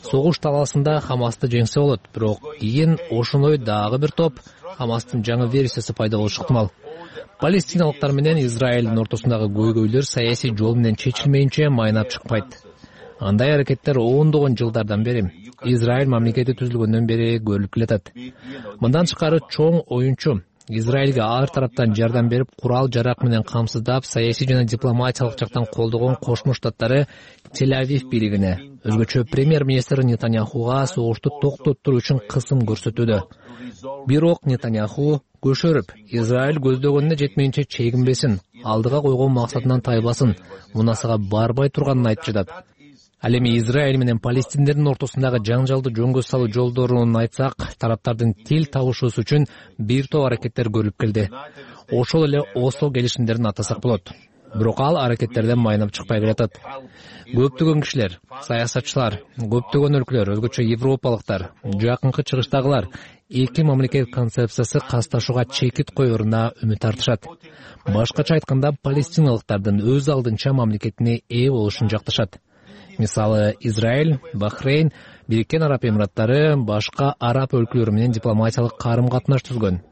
Согуш талаасында Хамасты жеңсе болот, бирок кийин ошондой дагы бир топ Хамастын жаңы версиясы пайда болушу ыктымал. Палестиналыктар менен Израилдин ортосундагы көйгөйлөр саясий жол менен чечилмейинче майнап чыкпайт. Андай аракеттер ондогон жылдардан бери, Израиль мамлекети түзүлгөндөн бери көрүлүп келатат. Мындан тышкары чоң оюнчу Израилге ар тараптан жардам берип, курал-жарак менен камсыздап, саясий жана дипломатиялык жактан колдогон Кошмо Штаттары Тель-Авив бийлигине, өзгөчө премьер-министр Нетаньяхуга согушту токтоттуруу үчүн кысым көрсөтүүдө. Бирок Нетаньяху көшөрүп, Израиль көздөгөнүнө жетмейинче чегинбесин, алдыга койгон максатынан тайбасын, мунасага барбай турганын айтып жатат. Ал эми Израиль менен палестиндердин ортосундагы жаңжалды жөнгө салуу жолдорун айтсак, тараптардын тил табышуусу үчүн бир топ аракеттер көрүлүп келди. Ошол эле Осло келишимдерин атасак болот. Бирок ал аракеттерден майнап чыкпай келатат. Көптөгөн кишилер, саясатчылар, көптөгөн өлкөлөр, өзгөчө европалыктар, жакынкы чыгыштагылар эки мамлекет концепциясы касташууга чекит коеруна үмүт артышат. Башкача айтканда, палестиналыктардын өз алдынча мамлекетине ээ болушун жакташат. Мисалы, Израиль, Бахрейн, Бириккен Араб Эмираттары башка араб өлкөлөрү менен дипломатиялык карым-катнаш түзгөн.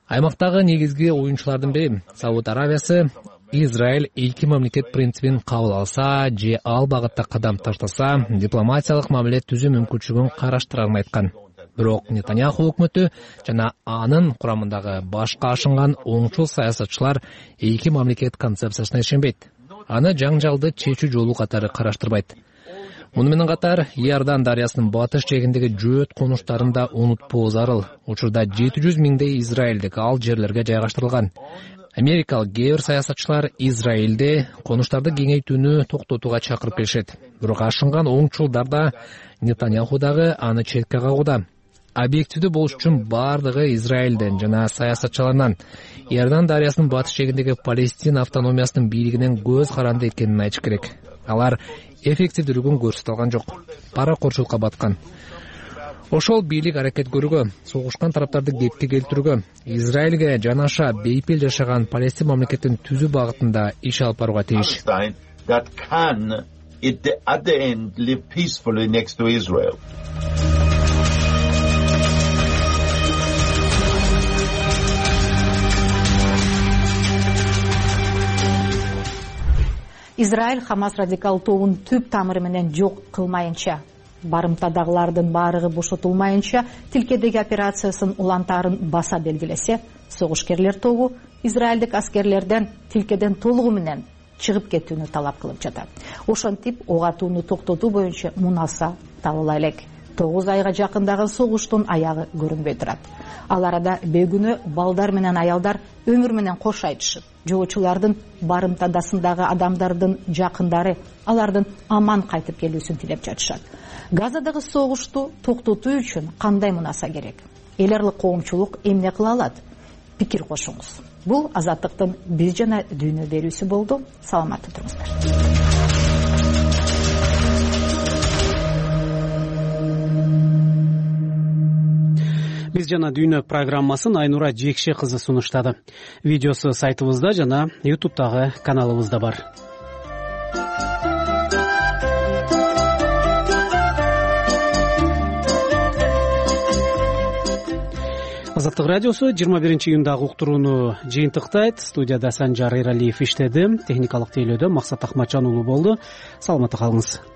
Аймактагы негизги оюнчулардын бири Сауд Аравиясы Израиль эки мамлекет принцибин кабыл алса же ал багытта кадам таштаса, дипломатиялык мамиле түзүү мүмкүнчүлүгүн караштырарын айткан. Бирок Нетаньяху өкмөтү жана анын курамындагы башка ашынган оңчул саясатчылар эки мамлекет концепциясына ишенбейт. Аны жаңжалды чечүү жолу катары караштырбайт. Муну менен катар Иордан дарыясынын батыш жээгиндеги жөөт конуштарын да унутпоо зарыл. Учурда 700 миңдей израилдик ал жерлерге жайгаштырылган. Америкалык кээ бир саясатчылар Израилде конуштарды кеңейтүүнү токтотууга чакырып келишет. Бирок ашынган оңчулдар да Нетаньяху дагы аны четке кагууда. Объективдүү болуш үчүн бардыгы Израилден жана саясатчыларынан Иордан дарыясынын батыш жээгиндеги Палестина автономиясынын бийлигинен көз каранды экенин айтыш керек. Алар эффективдүүлүгүн көрсөтө алган жок. Паракорчулукка баткан. Ошол бийлик аракет көрүүгө, согушкан тараптарды кепке келтирүүгө, Израилге жанаша бейпил жашаган Палестин мамлекетин түзүү багытында иш алып барууга тийиш. Израиль Хамас радикал тобун түп тамыры менен жок кылмайынча, барымтадагылардын баарыгы бошотулмайынча тилкедеги операциясын улантаарын баса белгилесе, согушкерлер тобу израилдик аскерлерден тилкеден толугу менен чыгып кетүүнү талап кылып жатат. Ошентип ок атууну токтотуу боюнча мунаса табыла элек. 9 айга жакындагы согуштун аягы көрүнбөй турат. Ал арада бөгүнө балдар менен аялдар өмүр менен кош айтышып, жолуучулардын барымтадасындагы адамдардын жакындары алардын аман кайтып келүүсүн тилеп жатышат. Газадагы согушту токтотуу үчүн кандай мунаса керек? Эл аралык коомчулук эмне кыла алат? Пикир кошуңуз. Бул Азаттыктын Биз жана дүйнө берүүсү болду. Саламатта туруңуздар. Биз жана дүйнө программасын Айнура Жекше кызы сунуштады. Видеосу сайтыбызда жана YouTube'дагы каналыбызда бар. Азаттык радиосу 21 июндагы уктурууну жыйынтыктайт. Студияда Санжар Эралиев иштеди. Техникалык тейлөөдө Максат Акматжан уулу болду. Саламатта калыңыз.